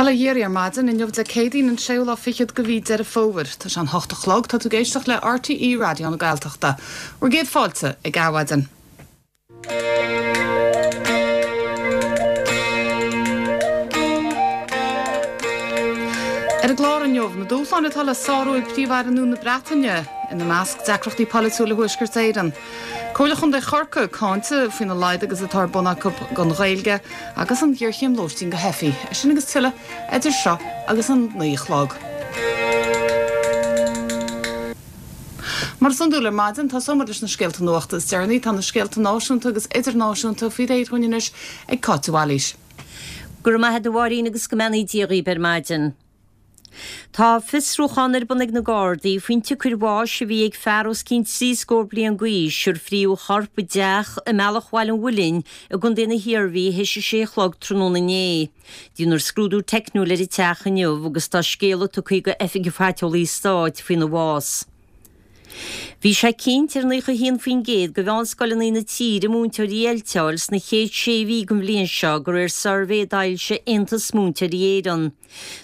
Bail ó Dhia oraibh ar maidin, inniu Dé Céadaoin an séú lá fichead de mhí Deireadh Fómhair. Tá sé an hocht a chlog, tá tú ag éisteacht le RTÉ Raidió na Gaeltachta. Bhur gcéad fáilte ag Adhmhaidin. Ar an gclár inniu, na dúshláin atá le sárú ag Príomh-Aire nua na Breataine, ina measc deacrachtaí polaitiúla Thuaisceart Éireann. Comhairle Chontae Chorcaí cáinte faoina laghad agus atá ar bun acu don Ghaeilge agus an ghéarchéim lóistín do theifigh. É sin agus tuilleadh idir seo agus an 9 a chlog. Mar is iondúil ar maidin, tosóidh muid leis na scéalta nuachta is deireanaí. Tá na scéalta náisiúnta agus idirnáisiúnta faoi réir dhúinn anois ag Cáit de Bhailís. Go raibh maith agat a Mháirín agus go mbeannaí Dia dhaoib ar maidin. Tá fiosrúchán ar bun ag na Gardaí faoin tsiocair bháis a bhí ag fear os cionn trí scór bliain d'aois ar fríodh a chorp i dteach i mBealach Bhaile an Mhuilinn i gContae na hIarmhí théis a sé a chlog tráthnóna inné. Déanfar scrúdú teicniúil ar an teach inniu agus tá scéala tugtha go Oifig an Phaiteolaí Stáit faoina bhás. Bhí sé cinnte ar 91% de mheánscoileanna na tíre múinteoirí a oilteáil sna chéad sé mhí den bhliain seo de réir suirbhé a d'fhoilsigh Aontas Múinteoirí Éireann.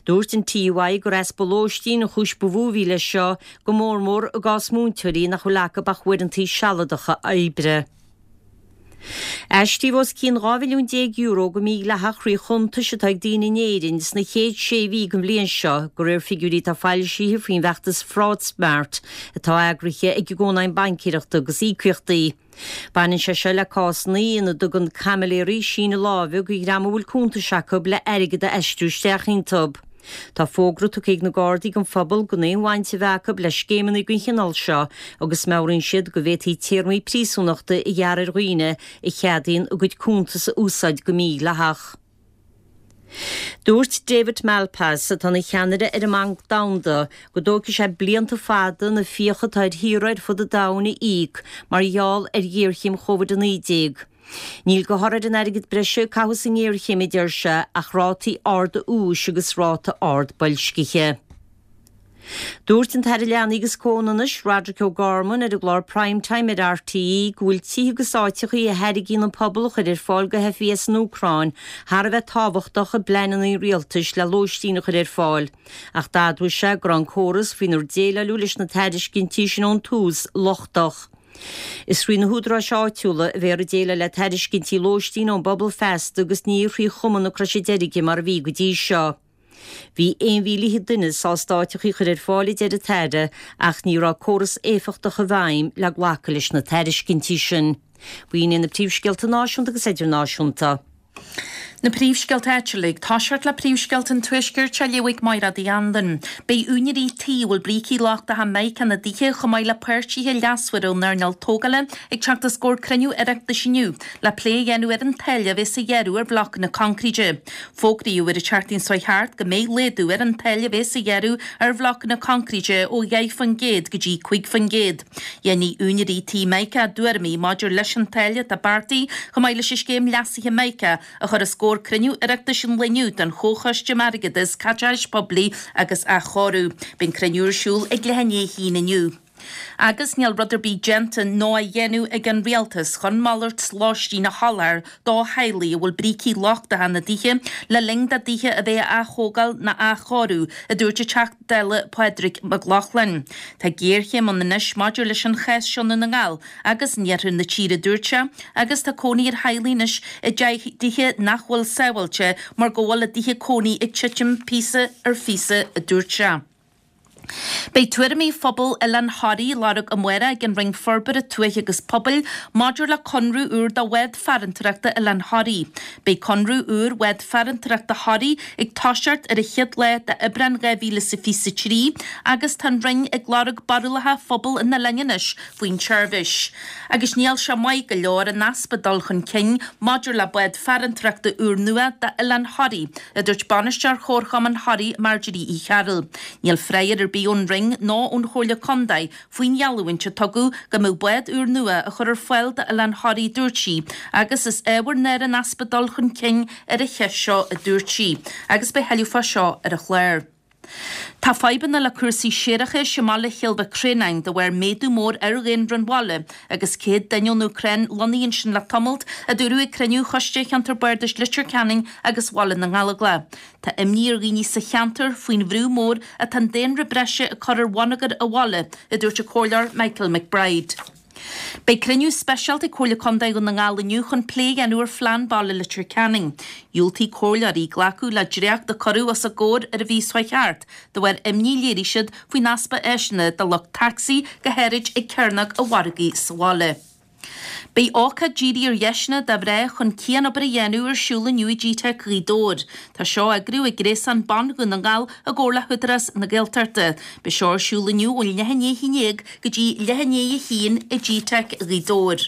Dúirt an TUI gur easpa lóistín an chúis ba mhó a bhí leis seo, go mórmór i gcás múinteoirí nach bhfuil acu ach uaireanta sealadacha oibre. Aistríodh os cionn €12 mhilliún go mídhleathach thrí chuntais atá ag daoine in Éirinn sna chéad sé mhí den bhliain seo, de réir figiúirí atá foilsithe faoin bhfeachtas FraudSmart atá eagraithe ag an gCónaidhm Baincéireachta agus Íocaíochtaí. Baineann sé seo le cásanna ina dtugann caimiléirí síneadh láimhe go dhream a bhfuil cuntais acu le airgead a aistriú isteach iontu. Tá fógra tugtha ag na Gardaí don phobal gan aon bhaint a bheith acu le scéimeanna den chineál seo agus meabhraíonn siad go bhféadfaí téarmaí príosúnachta a ghearradh ar dhaoine a cheadaíonn a gcuid cuntas a úsáid go mídhleathach. Dúirt David Malpass, atá ina cheannaire ar an mBanc Domhanda, go dtógfaidh sé blianta fada na fiacha atá ar thíortha ar fud an domhain a íoc mar gheall ar ghéarchéim Covid-19. Níl de thoradh ar an airgead breise a caitheadh sa ngéarchéim, a deir sé, ach rátaí arda úis agus ráta ard boilscithe. Dúirt an tAire Leanaí agus Comhionannais, Roderic O'Gorman, ar an gclár Prime Time ar RTÉ go bhfuil tithe agus áiteachaí a thairgíonn an pobal a chur ar fáil do theifigh as an Úcráin thar a bheith tábhachtach i bpleananna an rialtais le lóistín a chur ar fáil ach d'admhaigh sé go raibh an córas faoinar déileáileadh leis na tairiscintí sin ón tús lochtach. Is thrí na húdaráis áitiúla a bheifear ag déileáil le tairiscintí lóistín ón bpobal feasta agus ní thrí Chumann na Croise Deirge mar a bhí go dtí seo. Bhí 1,000 duine sásta áiteachaí a chur ar fáil a deir an tAire ach ní raibh córas éifeachtach i bhfeidhm le glacadh leis na tairiscintí sin. B'in iad na príomhscéalta náisiúnta agus idirnáisiúnta. Na príomhscéalta áitiúla ag toiseacht le príomhscéalta an Tuaiscirt á léamh ag Mairéad Uí Anluain. Beidh úinéirí tí a bhfuil brící lochtacha mica ina dtithe chomh maith le páirtithe leasmhara ón earnáil tógála ag teacht os comhair cruinniú Oireachtais inniu le plé a dhéanamh ar an táille a bheas á ghearradh ar bhlocanna coincréite. Fógraíodh ar an tseachtain seo thart go mbeidh laghdú ar an táille a bheas á ghearradh ar bhlocanna coincréite ó 10% go dtí 5%. Dhéanfaidh úinéirí tí Mica a dtuairimí maidir leis an táille atá beartaithe, chomh maith leis an scéim leasaithe Mica, a chur os comhair cruinniú Oireachtais an lae inniu den Chomhchoiste um Airgeadas, Caiteachais Poiblí agus Athchóiriú. Beidh an cruinniú ar siúl ag leath i ndiaidh a haon inniu. Agus níl rud ar bith déanta nó á dhéanamh ag an Rialtas chun malairt lóistín a sholáthar do theaghlaigh a bhfuil brící lochtacha ina dtithe le linn dá dtithe a bheith á ath-thógáil ná á athchóiriú, a dúirt an Teachta Dála Pádraig Mac Lochlainn. Tá géarchéim ann anois maidir leis an chás seo i nDún na nGall agus in iarthar na tíre, a dúirt sé, agus tá cónaí ar theaghlaigh anois i dtithe nach bhfuil sábháilte mar go bhfuil a dtithe cónaí ag titim píosa ar phíosa, a dúirt sé. Beidh tuairimí phobal Oileán Thoraí á lorg amárach ag an Roinn Forbartha Tuaithe agus Pobail maidir le conradh úr do bhád farantóireachta Oileán Thoraí. Beidh conradh úr Bhád Farantóireachta Thoraí ag toiseacht ar an chéad lá d'Aibreán 2023 agus tá an Roinn ag lorg barúlacha phobal an oileáin anois faoin tseirbhís. Agus níl sé maith go leor an easpa dul chun cinn maidir le bád farantóireachta úrnua d'Oileán Thoraí, a dúirt Bainisteoir Chomharchumann Thoraí Marjorie Uí Chearúil. Níl freagra ar bith ón Roinn ná ón Chomhairle Contae faoin gheallúint a tugadh go mbeadh bád úrnua á chur ar fáil d'Oileán Thoraí, dúirt sí, agus is ábhar náire an easpa dul chun cinn ar an cheist seo, a dúirt sí. Agus beidh thuilleadh fá seo ar an chlár. Tá fadhbanna le cúrsaí séarachais i mbaile Chill Mhic Réanáin de bharr méadú mór ar dhaonra an bhaile agus 100 duine ón Úcráin lonnaithe ansin le tamalt, a dúradh ag cruinniú Choiste Cheantar Bardais Leitir Ceanainn agus Bhaile na nGallóglach. Tá imní ar dhaoine sa cheantar faoin bhrú mór atá an daonra breise ag cur ar bhonneagar an bhaile, a dúirt an Comhairleoir Michael McBride. Beidh cruinniú speisialta ag Comhairle Contae Dhún na nGall inniu chun plé a dhéanamh ar Phlean Baile Leitir Ceanainn. Dhiúltaigh comhairleoirí glacadh le dréacht a cuireadh os a gcomhair ar an mhí seo thart de bharr imní a léirigh siad faoin easpa áiseanna do lucht tacsaí, go háirid ag Cearnóg an Mhargaidh sa bhaile. Beidh ócáid dírithe ar dheiseanna do mhná chun cianobair a dhéanamh ar siúl inniu i gteic Ghaoth Dobhair. Tá seo á eagrú ag Gréasán Ban Dhún na nGall i gcomhar le hÚdarás na Gaeltachta. Beidh seo ar siúl inniu ó leath i ndiaidh a 11 go dtí leath i ndiaidh a haon i gteic Ghaoth Dobhair.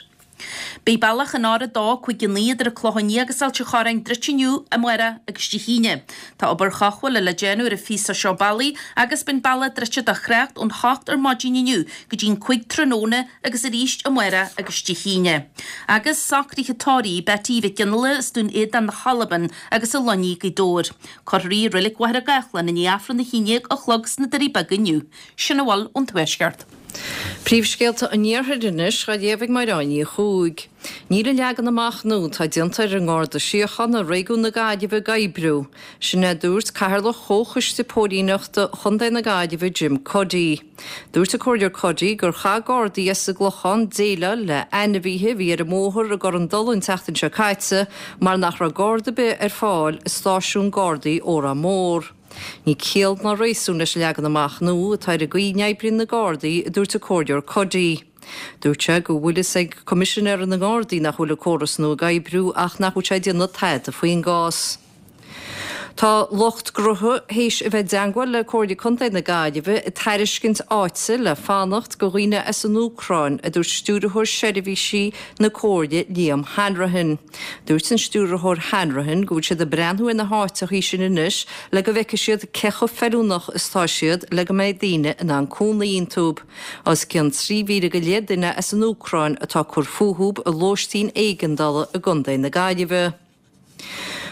Beidh bealach an R2 59 idir an Clochán Liath agus Ailt an Chorráin druidte inniu, amárach agus Dé hAoine. Tá obair chothabhála le déanamh ar an phíosa seo bealaigh agus beidh an bealach druidte do thrácht ón hocht ar maidin inniu go dtí an 5 tráthnóna agus arís amárach agus Dé hAoine. Agus socruithe tórraimh Betty Mhic Fhionnghaile as Dún Éideann na hAlban agus a lonnaithe i Gaoth Dobhair. Cuirfear í i Reilig Mhachaire Gathlán i ndiaidh Aifreann 11 a chlog sna Doirí Beaga inniu. Sin a bhfuil ón Tuaisceart. Príomhscéalta an Iarthair anois á léamh ag Máire Áine Ní Chuaig. Níl an leagan amach nua atá déanta ar an nGarda Síochána i réigiún na Gaillimhe ag oibriú. Sin é a dúirt Cathaoirleach Chomhchoiste Póilíneachta Chontae na Gaillimhe Jim Cuddy. Dúirt an Comhairleoir Cuddy gur chaith Gardaí as an gClochán déileáil le ainmhithe a bhí ar an mbóthar i gCorr an Dola an tseachtain seo caite mar nach raibh Garda ar bith ar fáil i stáisiún Gardaí Órán Mór. Níl ciall ná réasún leis an leagan amach nua atá ar an gcaoi a n-oibríonn na Gardaí, a dúirt an Comhairleoir Cuddy. Dúirt sé go bhfuil fhios ag Coimisinéir na nGardaí nach bhfuil an córas nua ag oibriú ach nach bhfuil sé ag déanamh tada faoin gcás. Tá lucht gnótha théis a bheith i dteangmháil le Comhairle Contae na Gaillimhe ag tairiscint áite le fanacht go dhaoine as an Úcráin, a dúirt Stiúrthóir Seirbhísí na Comhairle Liam Hanrahan. Dúirt an Stiúrthóir Hanrahan go bhfuil siad ag breathnú ar na háiteachaí sin anois le go bhfeicfidh siad cé chomh feiliúnach is atá siad le go mbeidh daoine in ann cónaí iontub. Os cionn 3,000 go leith duine as an Úcráin atá ag cur fúthub i lóistín éigeandála i gContae na Gaillimhe.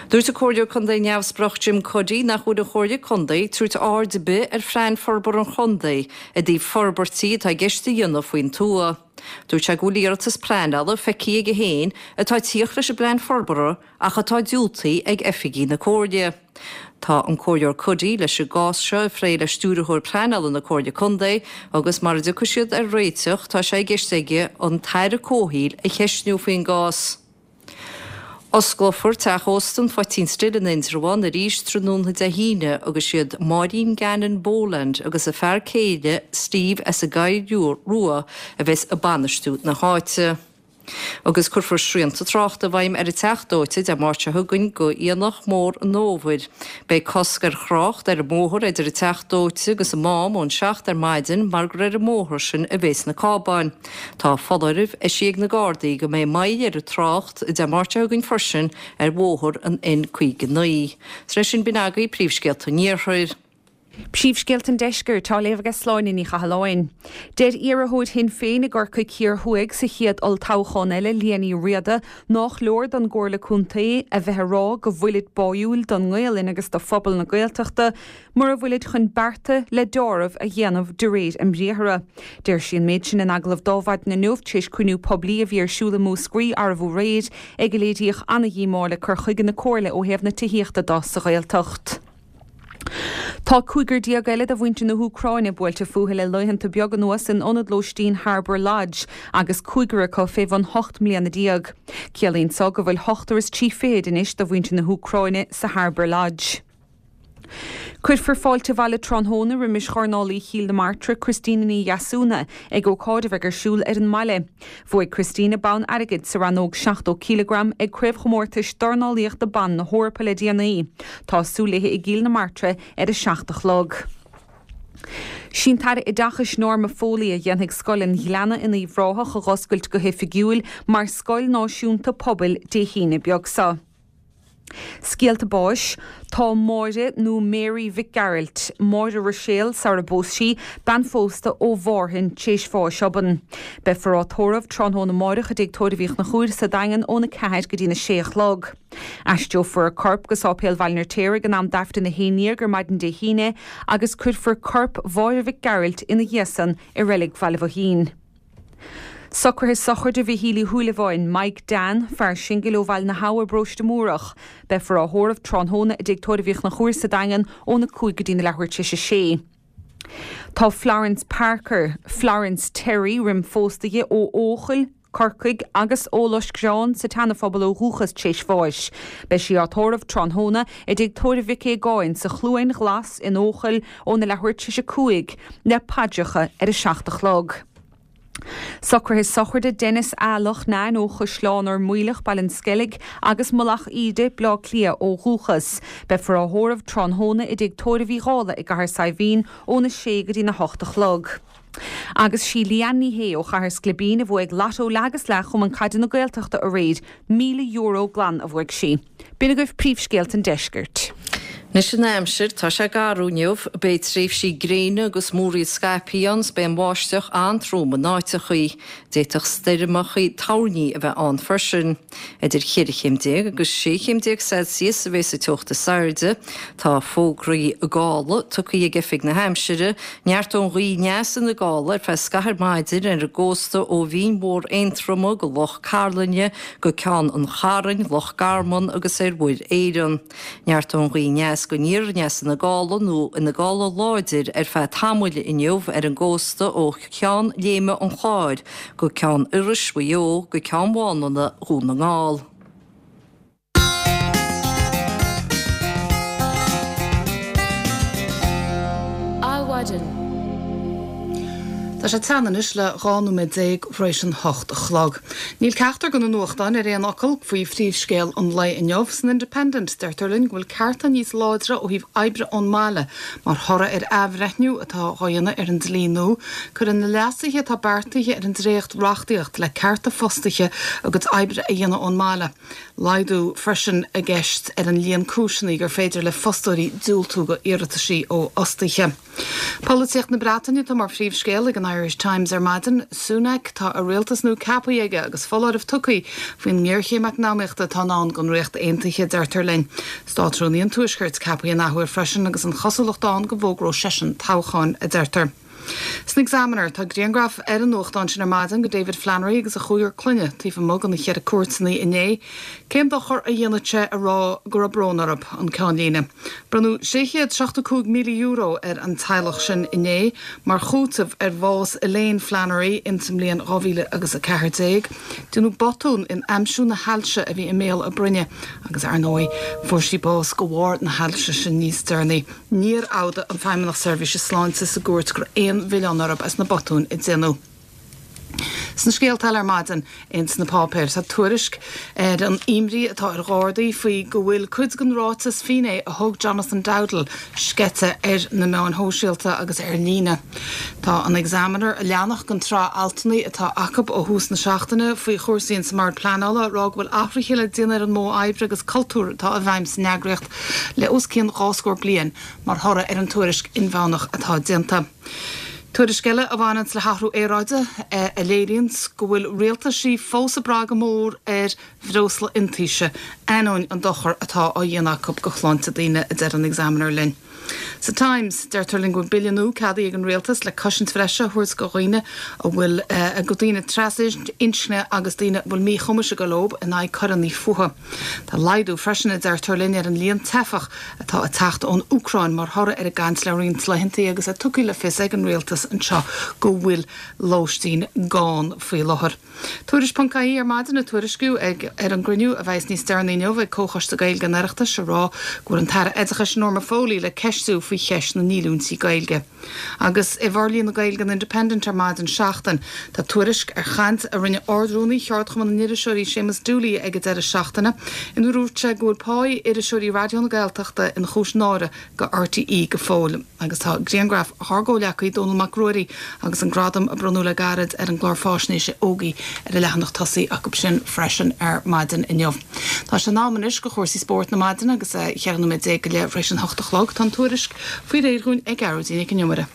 Dúirt an Comhairleoir Contae Neamhspleách Jim Cuddy nach bhfuil an Chomhairle Contae ag tabhairt aird ar bith ar Phlean Forbartha an Chontae i dtaobh forbairtí atá i gceist a dhéanamh faoin tuath. Dúirt sé go bhfuil iarratas pleanála feicthe aige féin atá ag tíocht leis an bplean forbartha ach atá diúltaithe ag oifigigh na Comhairle. Tá an Comhairleoir Cuddy leis an gcás seo a phlé le Stiúrthóir Pleanála na Comhairle Contae agus mara dtiocfaidh siad ar réiteach tá sé i gceist aige an tAire Comhshaoil a cheistniú faoin gcás. Osclófar Teach Ósta an Phoitín Stil in Indreabhán arís tráthnóna Dé hAoine agus siad Máirín Gannon Boland agus a fear céile Steve as an gCoill Rua a bheas ag bainistiú na háite. Agus cuirfear srianta tráchta i bhfeidhm ar an Teach Dóite Dé Máirt seo chugainn go Aonach Mór an Fhómhair. Beidh cosc ar thrácht ar an mbóthar idir an Teach Dóite agus an Mám ón 7 ar maidin mar gur ar an mbóthar sin a bhéas na cábáin. Tá foláireamh eisithe ag na Gardaí go mbeidh moill ar an trácht Dé Máirt seo chugainn freisin ar bhóthar an N59. Is leis sin b'in agaibh príomhscéalta an Iarthair. Príomhscéalta an Deiscirt á léamh aige Sláine Ní Chathalláin. Deir iarrthóir Shinn Féin i gCorcaigh Thiar Thuaidh sa chéad olltoghchán eile, Liadh Ní Riada, nách leor don gComhairle Contae a bheith ag rá go bhfuilid báúil don nGaolainn agus do phobal na Gaeltachta, mura bhfuilid chun bearta le deáramh a dhéanamh de réir a mbriathra. Deir sí an méid sin in agallamh d'Adhmhaidin inniu tar éis cruinniú poiblí a bhí ar siúl i Múscraí arbh aréir ag a léiríodh ana-dhíomá le cur chuige na Comhairle ó thaobh na tithíochta do sa Ghaeltacht. Tá cúigear déag eile de mhuintir na hÚcráine buailte fúthu le laethanta beaga anuas in ionad lóistín Harbour Lodge agus cúigear acu fé bhun 18 mbliana. Ciallaíonn so go bhfuil ochtar is trí fichid anois de mhuintir na hÚcráine sa Harbour Lodge. Cuirfear fáilte abhaile tráthnóna roimis dhornálaí Chill na Martra, Christina Ní Dheasúna, ag ócáid a bheidh ar siúl ar an mbaile. Bhuaigh Christina bonn airgid sa rannóg 70 cileagram ag Craobhchomórtais Dornálaíochta Ban na hEorpa le déanaí. Tá súil léi i gCill na Martra ar a 7 a chlog. Sí an tAire Oideachais Norma Foley a dhéanfaidh Scoil an Ghleanna in Uíbh Ráthach a dh'oscailt go hoifigiúil mar scoil náisiúnta pobail Dé hAoine beag seo. Scéalta báis, Tá Máire nó Mary Mhic Gearailt, Máire Ruiséal sara bpós sí, bean phósta ó Mhárthain, t'éis bháis obann. Beifear á tórramh tráthnóna amáireach i dTigh Tórraimh Uí Chonchúir sa Daingean óna 4 go dtína 6 a chlog. Aistreofar a corp go Sáipéal Bhaile an Fheirtéaraigh in am d'Aifreann 11 ar maidin Dé hAoine agus cuirfear corp Mháire Mhic Gearailt ina dhiaidh san i Reilig Bhaile Bhoithín. Socruithe sochraide Mhichíl Uí Shúilleabháin, Mike Dan, fear singil ó Bhaile na hAbha i bParóiste Múrach. Beifear á thórramh tráthnóna i dTigh Tórraimh Uí Chonchúir sa Daingean óna 5 go dtína leathuair tar éis a sé. Tá Florence Parker, Florence Terry roim phósta di ó Eochaill, Corcaigh, agus ó Loiscreán sa tSeana-Phobal ó dhúchas tar éis bháis. Beidh sí á tórramh tráthnóna i dTigh Tórraimh Mhic Aogáin sa Chluain Ghlas in Eochaill óna leathuair tar éis a 5 le paidreacha ar a 7 a chlog. Socruithe sochraide Denis A. Loughnane ó Chaisleán Ur Maoileach, Baile an Sceilg, agus Mullach Íde, Bleá Cliath ó dhúchas. Beifear á thórramh tráthnóna i dTigh Tórraimh Uí Dhálaigh i gCathair Saidhbhín óna 6 go dtína 8 a chlog. Agus sí Leanne Ní Shé ó Chathair Sclibín a bhuaigh Lotto Leath agus Leath Chumann Caide na Gaeltachta aréir. €1,000 glan a bhuaigh sí. B'in agaibh príomhscéalta an deiscirt. Anois an aimsir, tá sé garbh inniu. Beidh tréimhsí gréine agus múraíl scaipthe ann 's beidh an bháisteach an-trom in áiteachaí. D'fhéadfadh stoirmeachaí toirní a bheith ann freisin. Idir cheithre chéim déag agus sé chéim déag Celsius a bheas an teocht is airde. Tá fógraí gála tugtha ag Oifig na hAimsire. Neart ón ghaoth aneas ina gála ar feadh scaithimh ar maidin ar an gcósta ó Bhinn Mhór Aontroma go Loch Cairlinne go Ceann an Chairn, Loch Garman agus ar Mhuir Éireann. Neart ón ghaoth aneas go aniar aneas ina gála nó ina gála láidir ar feadh tamaill inniu ar an gcósta ó Cheann Léime an Chláir go Ceann Iorrais Mhaigh Eo go Ceann Mhálanna Dhún na nGall. Adhmhaidin. Tá sé teann anois le 12 nóiméad tar éis an 8 a chlog. Níl ceachtar de na nuachtáin ar aon fhocal faoi phríomhscéal an lae inniu. San Independent, deirtear linn go bhfuil cearta níos láidre ó thaobh oibre ón mbaile mar thoradh ar athbhreithniú atá á dhéanamh ar an dlí nua. Cuireann na leasuithe atá beartaithe ar an dréacht-reachtaíocht le cearta fostaithe a gcuid oibre a dhéanamh ón mbaile. Laghdú freisin i gceist ar an líon cúiseanna gur féidir le fostóirí diúltú do iarrataisí ó fhostaithe. Polaitíocht na Breataine atá mar phríomhscéal ag an Irish Times ar maidin. Sunak, tá a rialtas nua ceaptha aige agus foláireamh tugtha faoin ngéarchéim eacnamaíochta atá i ndán don Ríocht Aontaithe, deirtear linn. Státrúnaí an Tuaiscirt ceaptha an athuair freisin agus an chosúlacht ann go bhfógróidh seisean toghchán, a deirtear. San Examiner, tá grianghraf ar an nuachtán sin ar maidin de David Flannery agus a chúigear clainne taobh amuigh de na Cheithre Cúirteanna inné. Cén dochar a dhéanfadh sé a rá go raibh brón orthu? An ceannlíne. Bronnadh €675,000 ar an teaghlach sin inné mar chúiteamh ar bhás Elaine Flannery ins an mbliain 2014. Déanadh botún in aimsiú na hailse a bhí i mbéal a broinne agus, ar ndóigh, fuair sí bás de bharr na hailse sin níos deireanaí. Níor fhód an Feidhmeannach Seirbhíse Sláinte sa gcúirt go raibh aon mhilleán orthu as na botúin a déanadh. Sna scéalta eile ar maidin ins na páipéir, tá tuairisc ar an imní atá ar Ghardaí faoi go bhfuil cuid den ráiteas finné a thug Jonathan Dowdall sceite ar na meáin shóisialta agus ar líne. Tá an Examiner, ag leanacht den tsraith altanna atá acu ó thús na seachtaine faoi chúrsaí ins an mBord Pleanála, ag rá go bhfuil athruithe le déanamh ar an modh oibre agus cultúr atá i bhfeidhm san eagraíocht le os cionn 20 scór bliain mar thoradh ar an tuairisc inmheánach atá déanta. Tuairisc eile a bhaineanns le hathrú aeráide a léiríonns go bhfuil rialtaisí fós ag brath go mór ar bhreosla iontaise, ainneoin an dochar atá á dhéanamh acu go shláinte daoine, a deir an Examiner linn. Sa Times, deirtear linn go bhfuil bille nua ceadaithe ag an rialtas le cosaint bhreise a thabhairt go dhaoine a bhfuil, go daoine trasinscne agus daoine a bhfuil míchumais ag dul leo in aghaidh coireanna fuatha. Tá laghdú freisin, a deirtear linn, ar an líon teifeach atá ag teacht ón Úcráin mar thoradh ar an gcaint le roinnt laethanta agus é tugtha le fios ag an rialtas anseo go bhfuil lóistín gann faoi láthair. Tuairisc.ie ar maidin ag tuairisciú ag ar an gcruinniú a bheas níos deireanaí inniu ag Comhchoiste Gaeilge an Oireachtais ag rá go bhfuil an tAire Oideachais Norma Foley le ceistiú. faoi cheist na ndíolúintí Gaeilge. Agus i bhforlíonadh Gaeilge an Independent ar maidin seachtain, tá tuairisc ar chaint a rinne Ard-Rúnaí Cheardchumann na nIriseoirí Séamus Dooley ag an deireadh seachtaine inar dhúirt sé go bhfuil páí iriseoirí Raidió na Gaeltachta ina chúis náire go RTÉ go fóill. Agus tá grianghraf ár gcomhghleacaí Dónall Mac Ruairí agus an gradam a bronnadh le gairid ar an gclár fáisnéise Ógie ar an leathanach tosaigh acu sin freisin ar maidin inniu. Tá sé in am anois go chúrsaí spóirt na maidine agus é 14 nóiméad go leith tar éis an hocht a chlog. Tá an tuairisc faoi réir dhúinn ag Gearóidín Nic an Iomaire.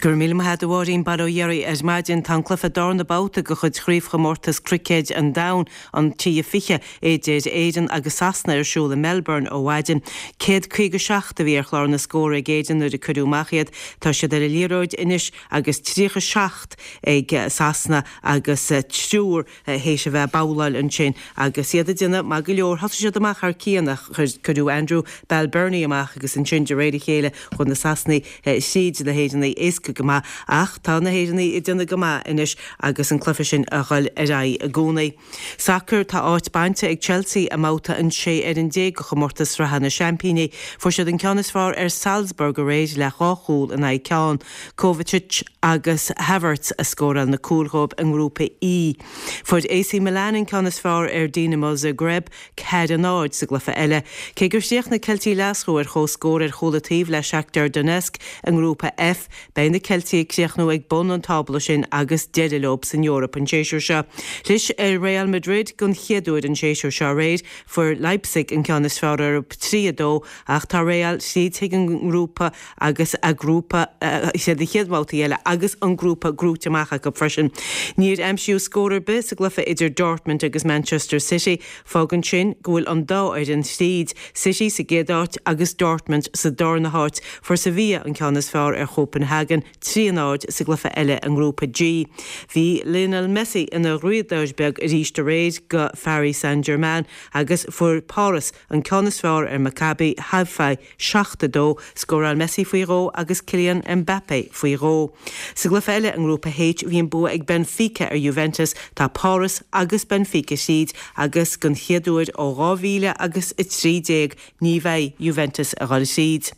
Go raibh míle maith agat a Mháirín, bail ó Dhia oraibh ar maidin. Tá an cluiche darna babhta de chuid Chraobhchomórtas Cruicéid an Domhain, an T20, idir Éirinn agus Sasana ar siúl i Melbourne ó mhaidin. 157 a bhí ar chlár na scór ag Éirinn nuair a cuireadh amach iad. Tá siad ar an liathróid anois agus 37 ag Sasana agus triúr théis a bheith ag babhláil ansin agus iad ag déanamh maith go leor. Thosaigh siad amach thar cionn ach cuireadh Andrew Balbirnie amach agus ansin de réir a chéile chuaigh na Sasanaigh thríd na hÉireannaigh éasca go maith ach tá na hÉireannaigh ag déanamh go maith anois agus an cluiche sin a dhul ar aghaidh i gcónaí. Sacar Tá áit bainte ag Chelsea i mbabhta an 16 ar an de chomórtas sraithe na Seaimpíní. Fuair siad an ceann is fearr ar Salzburg aréir le dhá chúl in aghaidh ceann. Kovacic agus Havertz a scóráil na cúil dhóibh i nGrúpa E. Fuair AC Milan an ceann is fearr ar Dinamo Zagreb, 4-0, sa gcluiche eile. Cé gur chríochnaigh Ceiltigh Ghlaschú ar comhscór ar chúl an taobh le Shakhtar Donetsk i nGrúpa F, beidh na Ceiltigh ag críochnú ag bun an tábla sin agus deireadh leo san Eoraip an séasúr seo. Chlis ar Real Madrid don chéad uair an séasúr seo aréir. Fuair Leipzig an ceann is fearr orthu, 3-2, ach tá Real tríd chuig an ngrúpa agus a grúpa siad na chéad bhabhtaí eile agus an grúpa gnóite amach acu freisin. Níor aimsíodh scór ar bith sa gcluiche idir Dortmund agus Manchester City. Fágann sin go bhfuil an dá fhoireann tríd, City sa gcéad áit agus Dortmund sa darna háit. Fuair Sevilla an ceann is fearr ar Chopenhagen, 3-0, sa gcluiche eile i ngrúpa G. Bhí Lionel Messi ina dhraíodóir beag arís aréir do Pharis Saint-Germain agus fuair Páras an ceann is fearr ar Maccabi Haifa 7, 2, Scóráil Messi faoi dhó agus Kylian Mbappé faoi dhó. Sa gcluiche eile i nGrúpa H bhí an bua ag Benfica ar Juventus. Tá Páras agus Benfica thríd agus don chéad uair ó 2000 agus 13 ní bheidh Juventus a dhul thríd.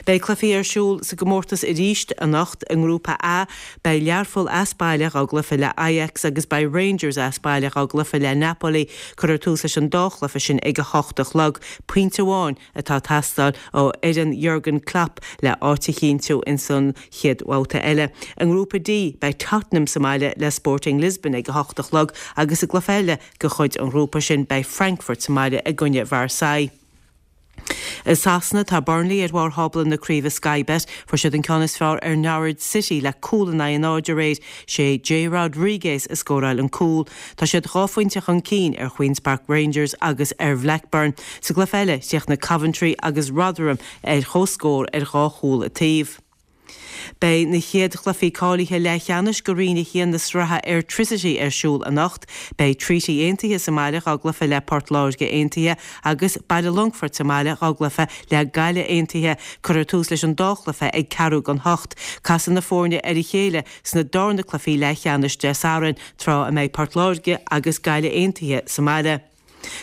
Beidh cluichí ar siúl sa gcomórtas arís anocht. I nGrúpa A beidh Learpholl as baile dhá gcluiche le Ajax agus beidh Rangers as baile dhá gcluiche le Napoli. Cuirfear tús leis an dá chluiche sin ag a hocht a chlog. Pointe amháin atá ag teastáil ó fhoireann Jurgen Klopp le áit a chinntiú ins an chéad bhabhta eile. I nGrúpa D, beidh Tottenham sa mbaile le Sporting Lisbon ag 8 a chlog agus i gcluiche eile de chuid an ghrúpa sin beidh Frankfurt sa mbaile i gcoinne Marseille. I Sasana, tá Burnley ar bharr thábla na craoibhe Sky Bet. Fuair siad an ceann is fearr ar Norwich City le cúl in aghaidh a náid aréir. Sé Jay Rodriguez a scóráil an cúl. Tá siad dhá phointe chun cinn ar Queens Park Rangers agus ar Bhlackburn. Sa gcluiche eile, chríochnaigh Coventry agus Rotherham ar comhscór ar dhá chúl an taobh. Beidh na chéad chluichí cáilithe leathcheannais do Roinn 1 na sraithe Airtricity ar siúl anocht. Beidh Treaty Aontaithe sa mbaile dhá gcluiche le Port Láirge Aontaithe agus Baile Longfoirt sa mbaile dhá gcluiche le Gaillimh Aontaithe. Cuirfear tús leis an dá chluiche ag ceathrú don hocht. Casfaidh na foirne ar a chéile sna darna cluichí leathcheannais Dé Sathairn, tráth a mbeidh Port Láirge agus Gaillimh Aontaithe sa mbaile.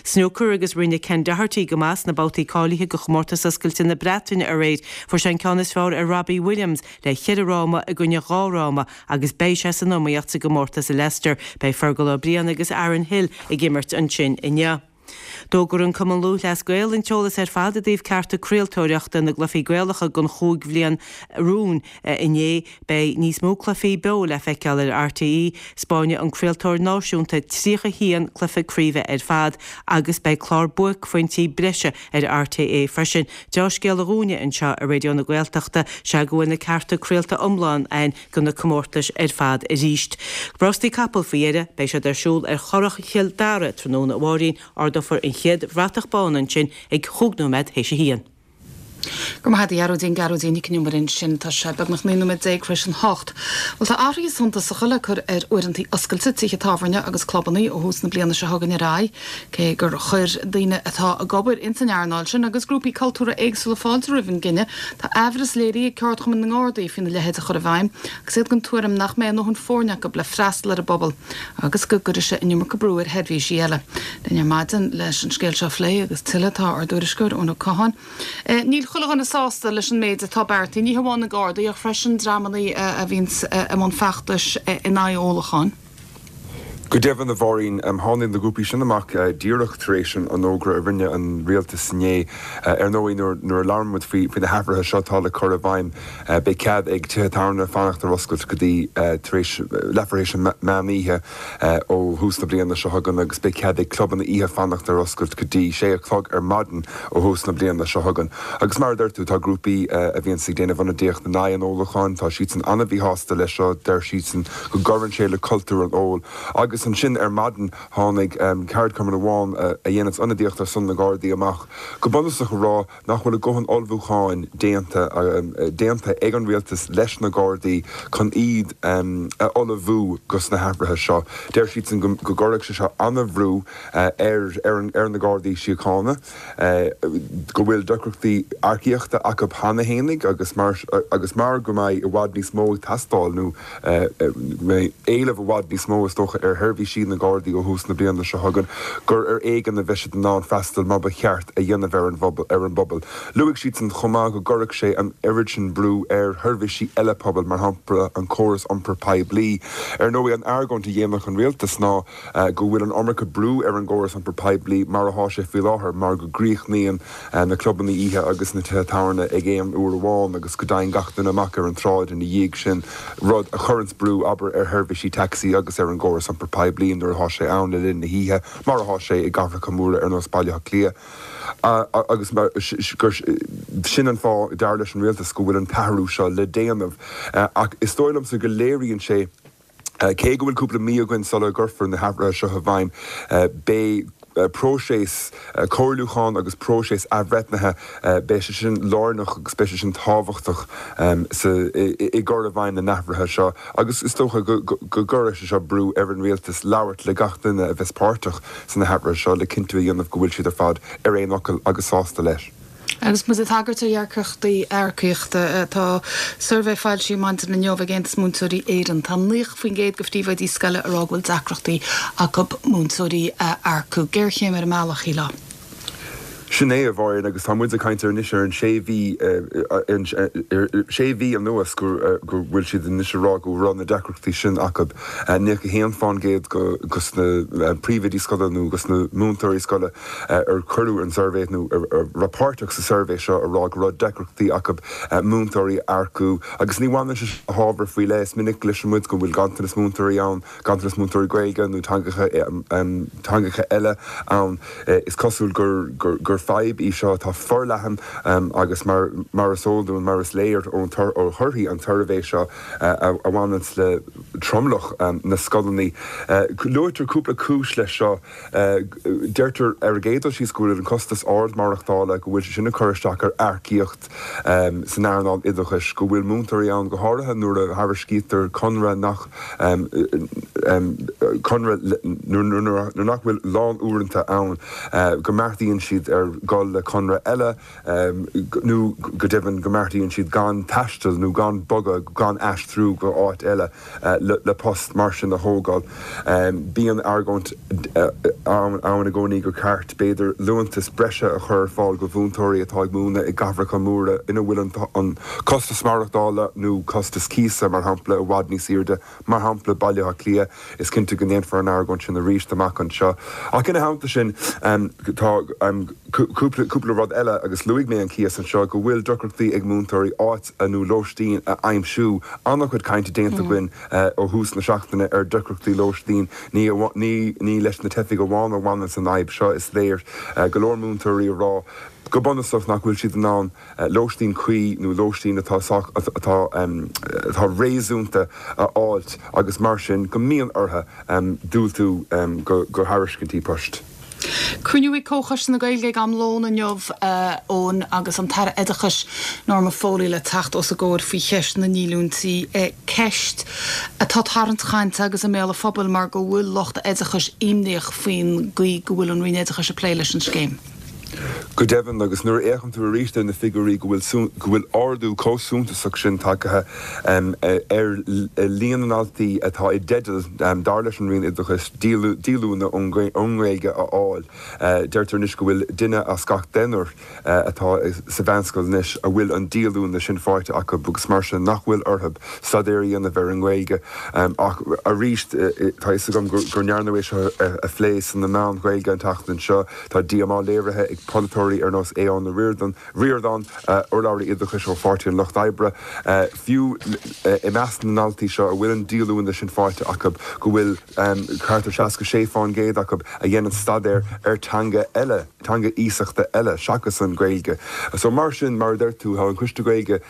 Snúcar agus rinne Ken Doherty go maith sna babhtaí cáilithe do Chomórtas Oscailte na Breataine aréir. Fuair sé an ceann is fearr ar Robbie Williams le cheithre fhráma i gcoinne dhá fhráma agus beidh sé san iomaíocht sa gcomórtas i Leicester. Beidh Fergal Ó Briain agus Aaron Hill ag imirt ansin inniu. D'fhógair an Cumann Lúthchleas Gael an t-eolas ar fad i dtaobh cearta craoltóireachta na gcluichí Gaelacha don chúig bhliain romhainn inné. Beidh níos mó cluichí beo le feiceáil ar RTÉ. 'Spáinfidh an craoltóir náisiúnta 31 cluiche craoibhe ar fad agus beidh clár buaicphointí breise ar RTÉ freisin. Deá-scéala dhúinne anseo i Raidió na Gaeltachta sea go bhfuil na cearta craolta iomlán againn do na comórtais ar fad arís. Rástaí capall faoi dheireadh, beidh siad ar siúl ar Churrach Chill Dara tráthnóna amárach. Ardófar an chéad bhratach bán ansin ag chúig nóiméad théis a haon. Go raibh maith agat a Ghearóidín, Gearóidín Nic an Iomaire ansin. Tá sé beagnach 19 nóiméad tar éis an hocht. Bhuel tá athruithe suntasacha le cur ar uaireanta oscailte tithe tábhairne agus clubanna ó thús na bliana seo chugainn ar aghaidh. Cé gur chuir daoine atá ag obair ins an earnáil sin agus grúpaí cultúrtha éagsúla fáilte roimh an gcinneadh, tá aimhreas léirithe ag Ceardchumann na nGardaí faoina leithéid a chur i bhfeidhm agus iad den tuairim nach mbeidh a ndóthain foirne acu le freastal ar an bpobal agus go gcuirfidh sé an iomarca brú ar sheirbhísí eile. Linn ar maidin leis an scéal seo a phlé agus tuilleadh tá ár dtuairisceoir Eoin Ó Catháin. Níl. chuile dhuine sásta leis an méid atá beartaithe, ní hamháin na Gardaí ach freisin dreamanna a bhíonns i mbun feachtais in aghaidh ólacháin. Go deimhin, a Mháirín, tháinig na grúpaí sin amach díreach tar éis an fhógra a rinne an rialtas inné. Ar ndóigh, nuair a labhrann muid faoi na hathruithe seo atá le cur i bhfeidhm, beidh cead ag tithe tábhairne fanacht ar oscailt go dtí tar éis leathuair tar éis an meán oíche ó thús na bliana seo chugainn agus beidh cead ag clubanna oíche fanacht ar oscailt go dtí sé a chlog ar maidin ó thús na bliana seo chugainn. Agus mar a deir tú, tá grúpaí a bhíonns ag déanamh ionadaíocht in aghaidh an ólacháin, tá siadsan an-mhíshásta leis seo, deir siadsan go gcuireann sé le cultúr an óil. Agus ansin ar maidin tháinig ceardchumann amháin a dhéananns ionadaíocht ar son na Gardaí amach go bunúsach a rá nach bhfuil a dhóthain ullmhúcháin déanta déanta ag an rialtas leis na Gardaí chun iad a ullmhú dos na hathruithe seo. Deir siadsan go gcuirfeadh sé seo an-bhrú ar ar na Gardaí Síochána. go bhfuil deacrachtaí earcaíochta acu cheana fhéinig agus mar agus mar go mbeidh i bhfad níos mó ag teastáil nó go mbeidh éileamh i bhfad níos mó is dócha ar sheirbhísí na Gardaí ó thús na bliana seo chugainn gur ar éigean a bheidh siad in ann freastal mar ba cheart a dhéanamh ar an ar an bpobal. Luaigh siadsan chomh maith go gcuirfeadh sé an oiread sin brú ar sheirbhísí eile pobail mar shampla an córas iompair poiblí. Ar ndóigh an argóint a dhéanfadh an rialtas ná go bhfuil an iomarca brú ar an gcóras iompair poiblí mar atá sé faoi láthair mar go gcríochnaíonn na clubanna oíche agus na tithe tábhairne ag aon uair amháin agus go dtagann gach duine amach ar an tsráid ina dhiaidh sin, rud a chuireanns brú, abair, ar sheirbhísí tacsaí agus ar an gcóras iompair poiblí nuair atá sé ann le linn na hoíche, mar atá sé i gcathracha móra ar nós Baile Átha Cliath. Agus gur sin an fáth, dar leis an rialtas, go bhfuil an t-athrú seo le déanamh. Ach is dóigh liomsa go léiríonn sé, Cé go bhfuil cúpla mí againn sula gcuirfear na hathruithe seo i bhfeidhm, beidh próiseas comhairliúcháin agus próiseas athbhreithnithe, beidh sé sin lárnach agus beidh sé sin tábhachtach i gcur i bhfeidhm na n-athruithe seo agus is dócha go gcuirfidh sé seo brú ar an rialtas labhairt le gach duine a bheas páirteach sna hathruithe seo le cinntiú a dhéanamh go bhfuil siad ar fad ar aon fhocal agus sásta leis. Agus muid ag tagairt ar dheacrachtaí earcaíochta, tá suirbhé foilsithe maidin inniu ag Aontas Múinteoirí Éireann. Tá 90% de phríomhoidí scoile ag rá go bhfuil deacrachtaí acu múinteoirí a earcú. Géarchéim ar an mbealach, shílfeá. Sin é, a Mháirín, agus tá muid ag caint ar anois ar an sé mhí, sé mhí anuas go bhfuil siad anois ag rá go raibh na deacrachtaí sin acu. 91% dos na príomhoidí scoile nó dos na múinteoirí scoile ar cuireadh an suirbhé nó a raibh páirteach sa suirbhé seo a rá go raibh deacrachtaí acu múinteoirí a earcú agus ní bhaineann sé le hábhar faoi leith. Is minic a chloiseann muid go bhfuil ganntanas múinteoirí ann, ganntanas múinteoirí Gaeilge nó teangacha teangacha eile ann. Is cosúil gur gur fadhb í seo atá forleathan agus mar mar is eol dúinn, mar is léir ón ó thorthaí an tsuirbhé seo a bhaineanns le tromlach na scoileanna. Luaitear cúpla cúis leis seo. Deirtear ar an gcéad dul síos go bhfuil an costas ard maireachtála, go bhfuil sé sin ag cur isteach ar earcaíocht san earnáil oideachais, go bhfuil múinteoirí ann, go háirithe nuair a thairiscítear conradh nach conradh nuair nach bhfuil lán-uaireanta ann, go mbeartaíonn siad ar dhul le conradh eile nó go deimhin go mbeartaíonn siad gan taisteal nó gan bogadh, gan aistriú go áit eile. le post mar sin a thógáil. Bíonn argóint ann i gcónaí gur ceart, b'fhéidir, liúntas breise a chur ar fáil go mhúinteoirí atá ag múineadh i gcathracha móra ina bhfuil an costas maireachtála nó costas cíosa, mar shampla, i bhfad níos airde, mar shampla, Baile Átha Cliath. Is cinnte go ndéanfar an argóint sin arís amach anseo. Ach ina theannta sin, tá cúpla rud eile, agus luaigh mé an cíos anseo, go bhfuil deacrachtaí ag múinteoirí áit nó lóistín a aimsiú. An-chuid cainte déanta againn ó thús na seachtaine ar deacrachtaí lóistín. Ní ní leis na teifigh amháin a bhaineanns an fhadhb seo, is léir go leor múinteoirí a rá go bunúsach nach bhfuil siad in ann lóistín cuí nó lóistín atá sách atá atá réasúnta a fháilt agus mar sin go mbíonn orthu diúltú go go thairiscintí poist. Cruinniú ag Comhchoiste na Gaeilge ag am lóin inniu, a Eoin, agus an tAire Oideachais, Norma Foley le teacht os a gcomhair faoi cheist na ndíolúintí. Ceist atá ag tarraingt chainte agus i mbéal an phobail mar go bhfuil lucht oideachais imníoch faoin gcaoi go bhfuil an Roinn Oideachais ag plé leis an scéim. Go deimhin, agus nuair a fhéachann tú arís ar na figiúirí go bhfuil go bhfuil ardú chomh suntasach sin tagtha ar líon na ndaltaí atá i dteideal, dar leis an Roinn Oideachais, díolúine ón nGaeilge a fháil, deirtear anois go bhfuil duine as gach deichniúr atá sa mheánscoil anois a bhfuil an díolúine sin faighte acu agus mar sin nach bhfuil orthu staidéar a dhéanamh ar an nGaeilge. Ach arís, tá a fhios agam go ndearnadh é seo a phlé sna meáin Ghaeilge an tseachtain seo, tá díomá léirithe ag polaiteoirí ar nós Aodhán Ó Ríordáin, urlabhraí oideachais ó Pháirtí an Lucht Oibre, fiú i measc na ndaltaí seo a bhfuil an díolúine sin faighte acu, go bhfuil thart ar 66% acu a dhéanann staidéar ar teanga eile. teanga iasachta eile seachas an Ghaeilge. So mar sin, mar a deir tú, tá an Coiste Gaeilge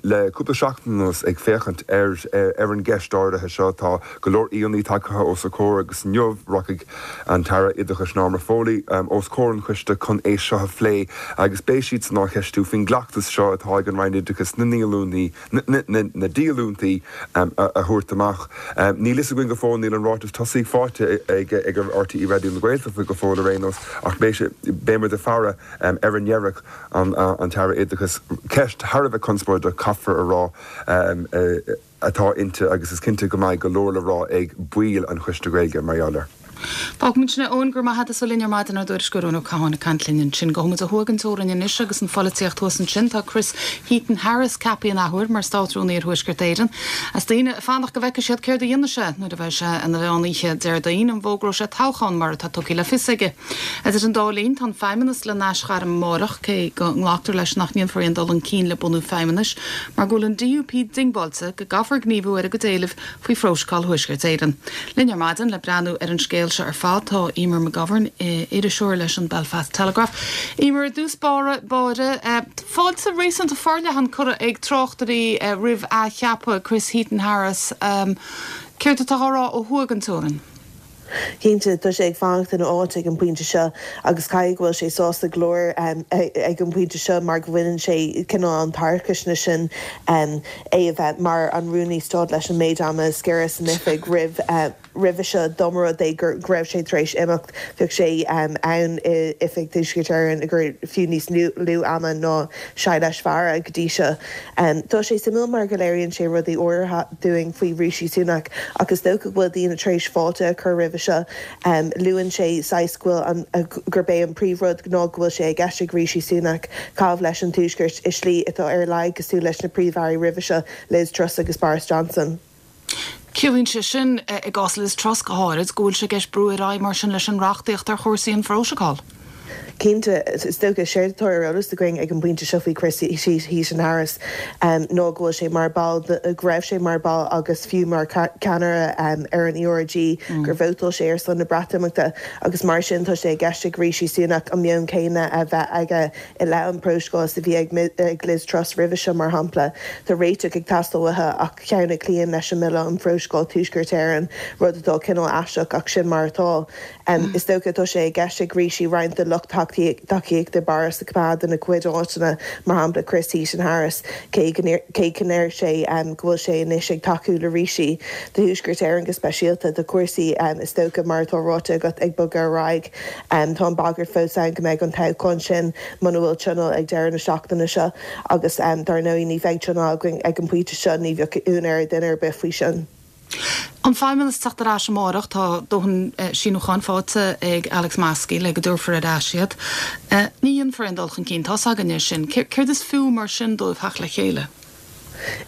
le cúpla seachtain anuas ag féachaint ar ar an gceist áirithe seo. Tá go leor aíonna tagtha os a comhair agus inniu rachaidh an tAire Oideachais Norma Foley os comhair an choiste chun é seo a phlé agus beidh siadsan á cheistiú faoin gcleachtas seo atá ag an Roinn Oideachais na ndíolúintí na díolúintí a thabhairt amach. Níl fhios againn go fóill, níl an ráiteas tosaigh faighte ag RTÉ Raidió na Gaeltachta go fóill ar aon nós, ach beidh muid ag faire ar a ndéarfaidh an tAire Oideachais. Ceist thar a bheith conspóideach, caithfear a rá, atá inti agus is cinnte go mbeidh go leor le rá ag baill an Choiste Gaeilge mar gheall air. Fágfaimid sin é Eoin, go raibh maith agat as a bheith linn ar maidin, ár dtuairisceoir Eoin Ó Catháin ag caint linn ansin. Gabhfaidh muid ó thuaidh den teorainn anois agus an pholaitíocht thuas ansin. Tá Chris Heaton-Harris ceaptha an athuair mar Státrúnaí ar Thuaisceart Éireann. Is daoine ag fanacht go bhfeicfidh siad céard a dhéanfaidh sé nuair a bheidh sé ina mheán oíche Déardaoin, an bhfógróidh sé toghchán mar atá tugtha le fios aige. Idir an dá linn, tá an Feidhmeannas le n-aisghairm amárach, cé go nglactar leis nach ndéanfar aon dul chun cinn le bunú feidhmeannais mar go bhfuil an DUP diongbháilte go gcaithfear gníomhú ar a gcuid éilimh faoi Phróiseacál Thuaisceart Éireann. Linn ar maidin le breathnú ar an scéal seo ar fad tá Eimear McGovern, iriseoir leis an Belfast Telegraph. Eimear, i dtús báire, fáilte réasúnta forleathan curtha ag tráchtairí roimh athcheapadh Chris Heaton-Harris. Céard atá á rá ó thuaidh den teorainn? Cinnte, tá sé ag fanacht ina áit ag an bpointe seo agus caithfidh go bhfuil sé sásta go leor ag an bpointe seo mar go bhaineann sé cineál an tarcaisne sin é a bheith mar an Rúnaí Stáit leis an méid ama is giorra san oifig roimh roimhe seo dá mba rud é go raibh sé tar éis imeacht bheadh sé ann i Oifig Thuaisceart Éireann i gcomhair fiú níos lú ama ná Shailesh Vara go dtí seo. Tá sé suimiúil mar go léiríonn sé rudaí áirithe dúinn faoi Rishi Sunak ach is dócha go bhfuil daoine tar éis fáilte a chur roimhe seo. Luann sé saghas go bhfuil an, gurb é an príomhrud ná go bhfuil sé i gceist ag Rishi Sunak caitheamh leis an Tuaisceart i slí atá ar a laghad cosúil leis na príomh-airí roimhe seo, Liz Truss agus Boris Johnson. Ciallaíonn sé sin, i gcás Liz Truss go háirid, go bhfuil sé i gceist brú ar aghaidh mar sin leis an reachtaíocht ar chúrsaí an Phróiseacáil. Cinnte, is dócha, séard atá ar eolas againn ag an bpointe seo faoi Chris Heaton-Harris ná go bhfuil sé mar ball, go raibh sé mar ball agus fiú mar cheannaire ar an ERG, gur vótáil sé ar son na Breatimeachta agus mar sin tá sé i gceist ag Rishi Sunak an meon céanna a bheith aige i leith an Phróiseacáil is a bhí ag Liz Truss roimhe seo, mar shampla. Tá réiteach ag teastáil uathu ach ceann a chloíonn leis an mBille um Phróiseacáil Tuaisceart Éireann, rud atá cineál aisteach ach sin mar atá. Is dócha tá sé i gceist ag Rishi roinnt de lucht tacaíochta Boris a choimeád ina chuid áiteanna, mar shampla Chris Heaton-Harris, cé go ndeir sé go bhfuil sé anois ag tacú le Rishi. Do Thuaisceart Éireann go speisialta, tá cúrsaí, is dócha, mar atá ráite agat, ag bogadh ar aghaidh. Tá an bhagairt fós ann go mbeidh an toghchán sin muna bhfuil tionól ag deireadh na seachtaine seo agus dar ndóigh ní bheidh tionól againn ag an bpointe seo, ní bheadh ionadh ar dhuine ar bith faoi sin. An Feidhmeannas teacht ar ais amárach, tá dóthain síniúcháin faighte ag Alex Maskey le go dtabharfar ar ais iad. Ní dhéanfar aon dul chun cinn, tá's againn é sin. Céard is fiú mar sin dóibh theacht le chéile?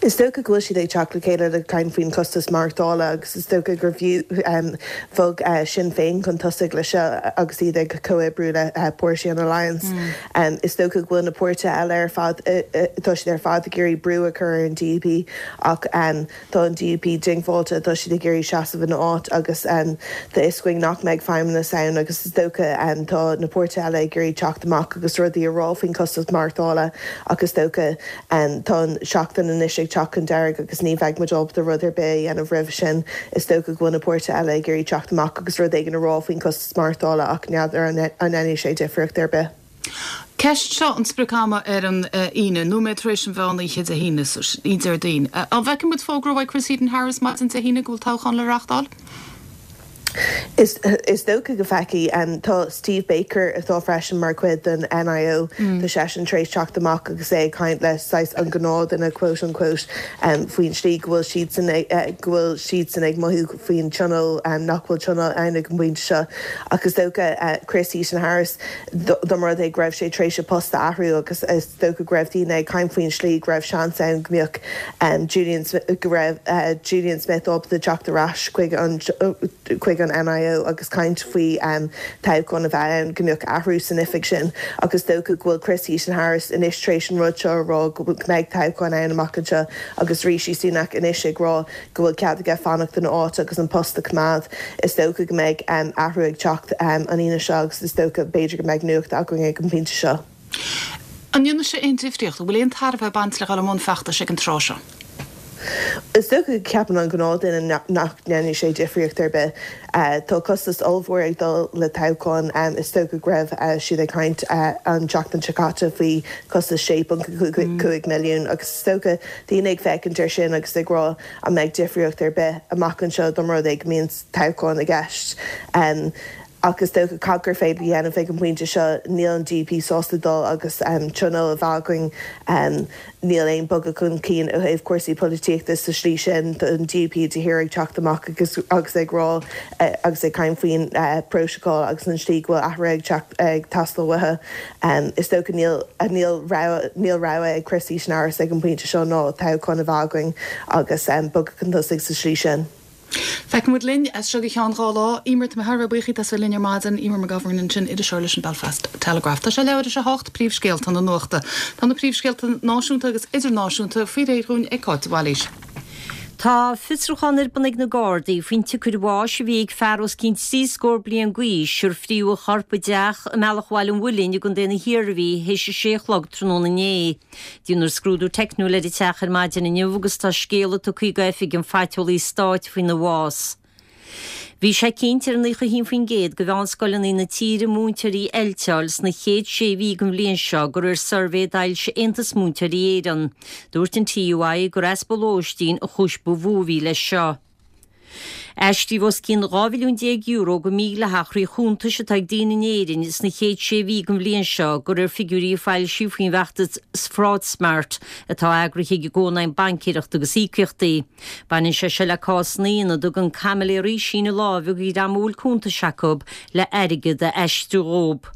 Is dócha go bhfuil siad ag teacht le chéile le caint faoin chostas maireachtála agus is dócha gur bhog Sinn Féin chun tosaigh le seo agus iad ag comhoibriú le páirtí an Alliance. Is dócha go bhfuil na páirtithe eile ar fad, tá siad ar fad ag iarraidh brú a chur ar an DUP ach Tá an DUP diongbháilte, tá siad ag iarraidh seasamh ina áit agus tá fhios againn nach mbeidh feidhmeannas ann agus is dócha tá na páirtithe eile ag iarraidh teacht amach agus rudaí a rá faoin chostas maireachtála ach is dócha tá an seachtain anois ag teacht chun deiridh agus ní bheidh muid ábalta rud ar bith a dhéanamh roimhe sin. Is dócha go bhfuil na páirtithe eile ag iarraidh teacht amach agus rud éigin a rá faoin chostas maireachtála ach n'fheadar an ndéanfaidh sé difríocht ar bith. Ceist seo an sprioc ama ar an Aoine, nóiméad tar éis an mheán oíche Dé hAoine, Déardaoin. An bhfeicfidh muid fógra uaidh Chris Heaton-Harris maidin Dé hAoine go bhfuil toghchán le reáchtáil? Is dócha go bhfeicfidh. Tá Steve Baker, atá freisin mar chuid den NIO, tá seisean tar éis teacht amach agus é ag caint le saghas an gnáthdhuine quote unquote faoin slí go bhfuil siadsan go bhfuil siadsan ag mothú faoin tionól, nach bhfuil tionól ann ag an bpointe seo. Ach is dócha Chris Heaton-Harris, dá mba rud é go raibh sé tar éis a post a athrú agus is dócha go raibh daoine ag caint faoin slí go raibh seans ann go mbeadh Julian go raibh Julian Smith ábalta teacht ar ais chuig an chuig an NIO agus caint faoi toghchán a bheith ann go mbeadh athrú san oifig sin ach is dócha go bhfuil Chris Heaton-Harris anois tar éis an rud seo a rá go mbeidh toghchán ann amach anseo agus Rishi Sunak anois ag rá go bhfuil cead aige fanacht ina áit agus an post a choimeád. Is dócha go mbeidh athrú ag teacht an Aoine seo agus is dócha, b'fhéidir go mbeidh nuacht againn ag an bpointe seo. An ndéanfaidh sé aon difríocht? An bhfuil aon tairbhe ag baint le dhul i mbun feachtais ag an tráth seo? Is dócha go gceapann an gnáthdhuine nach ndéanfaidh sé difríocht ar bith. Tá costas ollmhór ag dul le toghchán. Is dócha go raibh siad ag caint an tseachtain seo caite faoi chostas 6.5 milliún agus is dócha daoine ag féachaint air sin agus ag rá an mbeidh difríocht ar bith amach anseo dá mba rud é go mbíonn toghchán i gceist. Ach is dócha cad gur féidir a dhéanamh ag an bpointe seo, níl an DUP sásta dul agus tionól a bheith againn, níl aon bogadh chun cinn ó thaobh cúrsaí polaitíochta sa slí sin, tá an DUP de shíor ag teacht amach agus agus ag rá agus ag caint faoin bprótacal agus an slí go bhfuil athruithe ag teacht ag teastáil uathu. Is dócha níl níl rogha níl rogha ag Chris Heaton-Harris ag an bpointe seo ná toghchán a bheith againn agus bogadh chun tosaigh sa slí sin. Feicfidh muid linn as seo go ceann 2 lá. Eimear, tá mé thar a bheith buíoch díot as bheith linn ar maidin. Eimear McGovern ansin, iriseoir leis an Belfast Telegraph. Tá sé leathuair tar éis a hocht, príomhscéalta na nuachta. Tá na príomhscéalta náisiúnta agus idirnáisiúnta faoi réir dhúinn ag Cáit de Bhailís. Tá fiosrúchán ar bun ag na Gardaí faoin tsiocair bháis a bhí ag fear os cionn trí scór bliain d'aois ar fríodh a chorp i dteach i mBealach Bhaile an Mhuilinn i gContae na hIarmhí théis a sé a chlog tráthnóna inné. Déanfar scrúdú teicniúil ar an teach ar maidin inniu agus tá scéala tugtha ag Oifig an Phaiteolaí Stáit faoina bhás. Bhí sé cinnte ar 91% de mheánscoileanna na tíre múinteoirí a fheilteáil sna chéad sé mhí den bhliain seo de réir suirbhé a d'fhoilsigh Aontas Múinteoirí Éireann. Dúirt an TUI gur easpa lóistín an chúis ba mhó a bhí leis seo. Aistríodh os cionn €12 bhilliún go mídhleathach thrí chuntais atá ag daoine in Éirinn sna chéad sé mhí den bhliain seo, de réir figiúirí a foilsíodh faoin bhfeachtas FraudSmart atá eagraithe ag an gCónaidhm Baincéireachta agus Íocaíochtaí. Baineann sé seo le cásanna ina dtugann caimiléirí síneadh láimhe do dhream a bhfuil cuntais acu le airgead a aistriú dhóibh.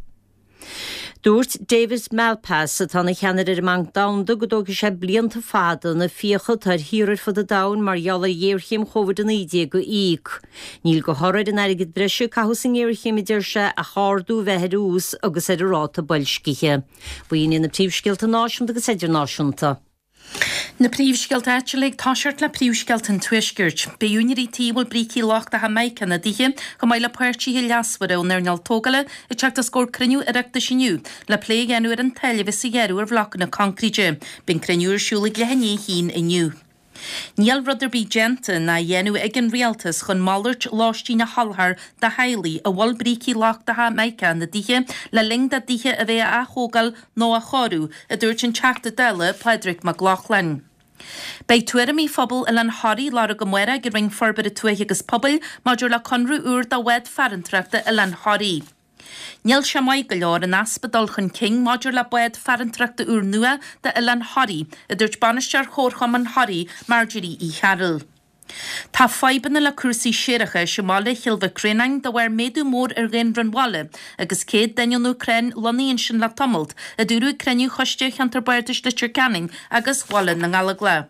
Dúirt David Malpass, atá ina cheannaire ar an mBanc Domhanda, go dtógfaidh sé blianta fada na fiacha atá ar thíortha ar fud an domhain mar gheall ar ghéarchéim Covid-19 a íoc. Níl de thoradh ar an airgead breise a caitheadh sa ngéarchéim, a deir sé, ach ardú a bheith ar ús agus ar an ráta boilscithe. B'in iad na príomhscéalta náisiúnta agus idirnáisiúnta. Na príomhscéalta áitiúla ag toiseacht le príomhscéalta an Tuaiscirt. Beidh úinéirí tí a bhfuil brící lochtacha mica ina dtithe, chomh maith le páirtithe leasmhara ón earnáil tógála, ag teacht os comhair cruinniú Oireachtais inniu le plé a dhéanamh ar an táille a bheas á ghearradh ar bhlocanna coincréite. Beidh an cruinniú ar siúl ag leath i ndiaidh a haon inniu. Níl rud ar bith déanta ná á dhéanamh ag an Rialtas chun malairt lóistín a sholáthar do theaghlaigh a bhfuil brící lochtacha mica ina dtithe le linn dá dtithe a bheith á ath-thógáil nó á chóiriú, a dúirt an Teachta Dála Pádraig Mac Lochlainn. Beidh tuairimí phobal Oileán Thoraí á lorg amárach ag an Roinn Forbartha Tuaithe agus Pobail maidir le conradh úr do bhád farantóireachta Oileán Thoraí. Níl sé maith go leor an easpa dul chun cinn maidir le bád farantóireachta úr nua d'Oileán Thoraí, a dúirt Bainisteoir Chomharchumann Thoraí, Marjorie Uí Chearúil. Tá fadhbanna le cúrsaí séarachais i mbaile Chill Mhic Réanáin de bharr méadú mór ar dhaonra an bhaile agus 100 duine ón Úcráin lonnaithe ansin le tamalt, a dúradh ag cruinniú Choiste Cheantar Bardais Leitir Ceanainn agus Bhaile na nGallóglach.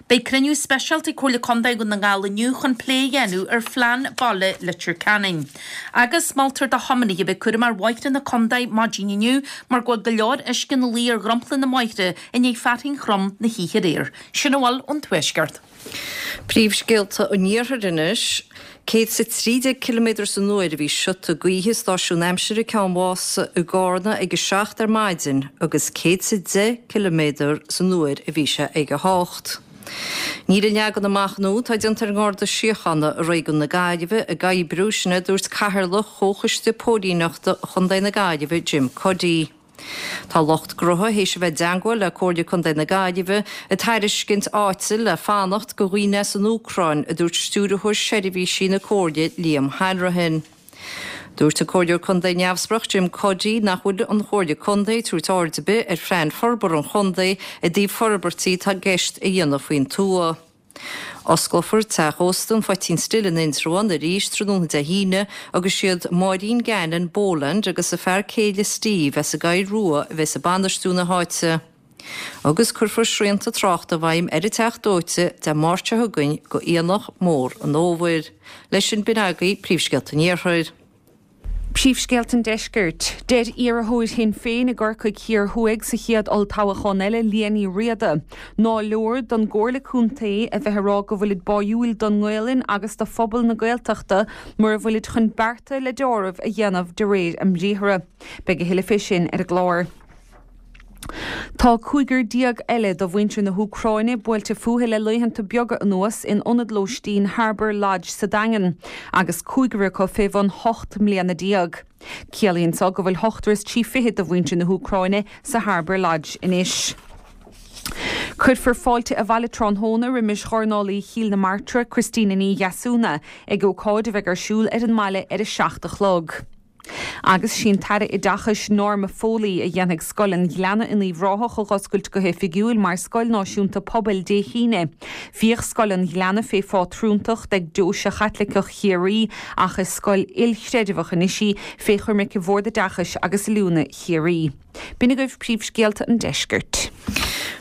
Beidh cruinniú speisialta ag Comhairle Contae Dhún na nGall inniu chun plé a dhéanamh ar Phlean Baile Leitir Ceanainn. Agus moltar do thiománaithe a bheith cúramach ar bhóithre na contae maidin inniu mar go bhfuil go leor uisce ina luí ar dhromchla na mbóithre i ndiaidh fearthainn throm na hoíche aréir. Sin a bhfuil ón Tuaisceart. Príomhscéalta an Iarthair anois. 113 ciliméadar san uair a bhí siota gaoithe i stáisiún aimsire Ceann Mhása i gCarna ag a 7 ar maidin agus 110 ciliméadar san uair a bhí sé ag a 8. Níl an leagan amach nua atá déanta ar an nGarda Síochána i Réigiún na Gaillimhe ag oibriú, sin a dúirt Cathaoirleach Chomhchoiste Póilíneachta Chontae na Gaillimhe, Jim Cuddy. Tá lucht gnótha théis a bheith i dteangmháil le Comhairle Contae na Gaillimhe ag tairiscint áite le fanacht go dhaoine as an Úcráin, a dúirt Stiúrthóir Seirbhísí na Comhairle Liam Hanrahan. Dúirt an Comhairleoir Contae neamhspleách Jim Cuddy nach bhfuil an Chomhairle Contae ag tabhairt aird ar bith ar phlean forbartha an chontae i dtaobh forbairtí atá i gceist a dhéanamh faoin tuath. Osclófar Teach Ósta an Phoitín Stil in Indreabhán arís tráthnóna Dé hAoine agus siad Máirín Gannon Boland agus a fear céile Steve as an gCoill Rua a bheas ag bainistiú na háite. Agus cuirfear srianta tráchta i bhfeidhm ar an Teach Dóite Dé Máirt seo chugainn go Aonach Mór an Fhómhair. Leis sin b'in agaibh príomhscéalta an Iarthair. Príomhscéalta an Deiscirt. Deir iarrthóir Shinn Féin i gCorcaigh Thiar Thuaidh sa chéad olltoghchán eile, Liadh Ní Riada, ná leor don gComhairle Contae a bheith ag rá go bhfuilid báúil don nGaelainn agus do phobal na Gaeltachta mura bhfuilid chun bearta le deáramh a dhéanamh de réir a mbriathra. Beidh a thuilleadh fé sin ar an gclár. Tá cúigear déag eile de mhuintir na hÚcráine buailte fúthu le laethanta beaga anuas in ionad lóistín Harbour Lodge sa Daingean, agus cúigear acu fé bhun 18 mbliana. Ciallaíonn so go bhfuil ochtar is trí fichid de mhuintir na hÚcráine sa Harbour Lodge anois. Cuirfear fáilte abhaile tráthnóna roimis dhornálaí Chill na Martra, Christina Ní Dheasúna, ag ócáid a bheidh ar siúl ar an mbaile ar a 7 a chlog. Agus sí an tAire Oideachais Norma Foley a dhéanfaidh Scoil an Ghleanna in Uíbh Ráthach a dh'oscailt go hoifigiúil mar Scoil Náisiúnta Pobail Dé hAoine. Bhíodh Scoil an Ghleanna fé phátrúntacht ag Deoise Chaitliceach Chiarraí ach is scoil ilchreidmheach anois í fé choimirce Bhord Oideachais agus Oiliúna Chiarraí. B'in agaibh príomhscéalta an deiscirt.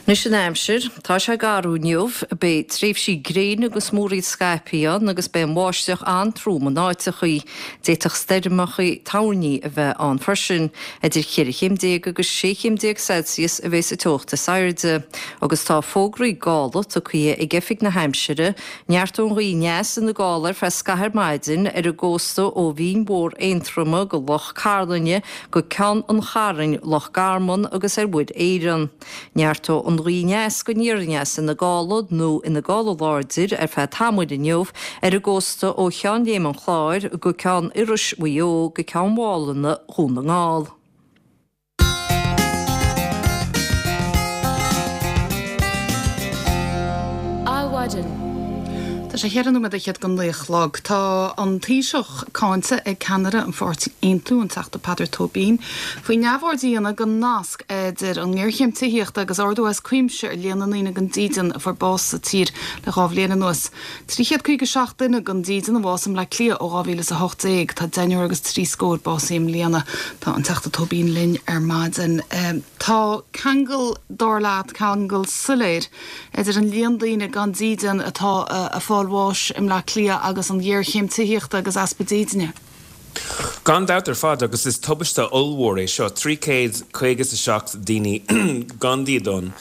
Anois an aimsir. Tá sé garbh inniu. Beidh tréimhsí gréine agus múraíl scaipthe ann agus beidh an bháisteach an-trom in áiteachaí. D'fhéadfadh stoirmeacha toirní a bheith ann freisin. Idir cheithre chéim déag agus sé chéim déag Celsius a bheas an teocht is airde. Agus tá fógraí gála tugtha ag Oifig na hAimsire. Neartóidh an ghaoth aneas ina gála ar feadh scaithimh ar maidin ar an gcósta ó Bhinn Mhór Aontroma go Loch Cairlinne go Ceann an Chairn, Loch Garman agus ar Mhuir Éireann. Neartóidh an ghaoth aneas go aniar aneas ina gála nó ina gála láidir ar feadh tamaill inniu ar an gcósta ó Cheann Léim an Chláir go Ceann Iorrais Mhaigh Eo go Ceann Mhálanna Dhún na nGall. Adhmhaidin. Tá sé cheithre nóiméad fhichead don naoi a chlog. Tá an Taoiseach cáinte ag ceannaire an pháirtí Aontú, an Teachta Peadar Tóibín, faoi neamhaird a dhéanamh den nasc idir an ngéarchéim tithíochta agus ardú as cuimse ar líon na ndaoine gan dídean a fuair bás sa tír le 2 bhliain anuas. 357 duine gan dídean a bhásaigh i mBleá Cliath ó 2018. Tá deichniúr agus trí scór básaithe i mbliana. Tá an Teachta Tóibín linn ar maidin. Tá ceangal, dar leat, ceangal soiléir idir an líon daoine gan dídean atá ag fáil bháis i mBleá Cliath agus an ghéarchéim tithíochta agus easpa dídine. Gan dabht ar fad, agus is tubaiste ollmhór é seo, 357 daoine gan dídean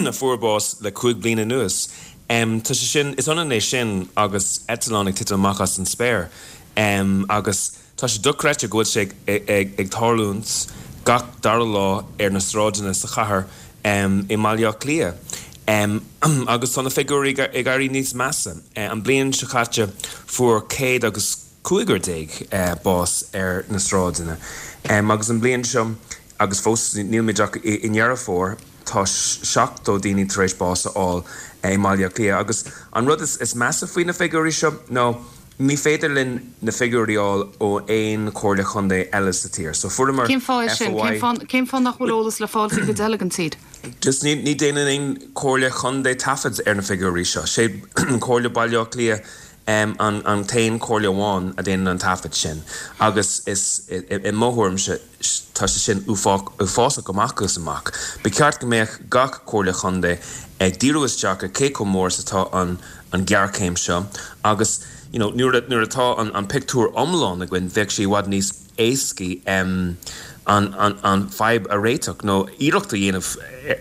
a fuair bás le 5 bliana anuas. Tá sé sin, is ionann é sin agus eitleán ag titim amach as an spéir. Agus Tá sé dochreidte go bhfuil sé ag tarlúint gach dara lá ar na sráideanna sa chathair i mBaile Átha Cliath. Agus tá na figiúirí ag éirí níos measa. An bliain seo caite fuair céad agus cúigear déag bás ar na sráideanna. Agus an bliain seo, agus fós nílimid ach i nDeireadh Fómhair, tá 70 daoine tar éis bás a fháil i mBaile Átha Cliath. Agus an rud is measa faoi na figiúirí seo ná Ní féidir linn na figiúirí a fháil ó aon chomhairle chontae eile sa tír. So fuaireamar Cén fáth é sin? FOI. Cén fáth nach bhfuil eolas le fáil sa gcuid eile den tír? Just ní ní déanann aon chomhairle chontae taifead ar na figiúirí seo. Sé Comhairle Baile Átha Cliath an an t-aon chomhairle amháin a déanann an taifead sin. Agus is i mo thuairimse Tá sé sin uafásach amach is amach. Ba cheart go mbeadh gach Comhairle Chontae ag díriú isteach ar cé chomh mór is atá an ghéarchéim seo agus you know nuair nuair atá an pictiúr iomlán againn bheadh sé i bhfad níos éascaí an an fadhb a réiteach nó iarracht a dhéanamh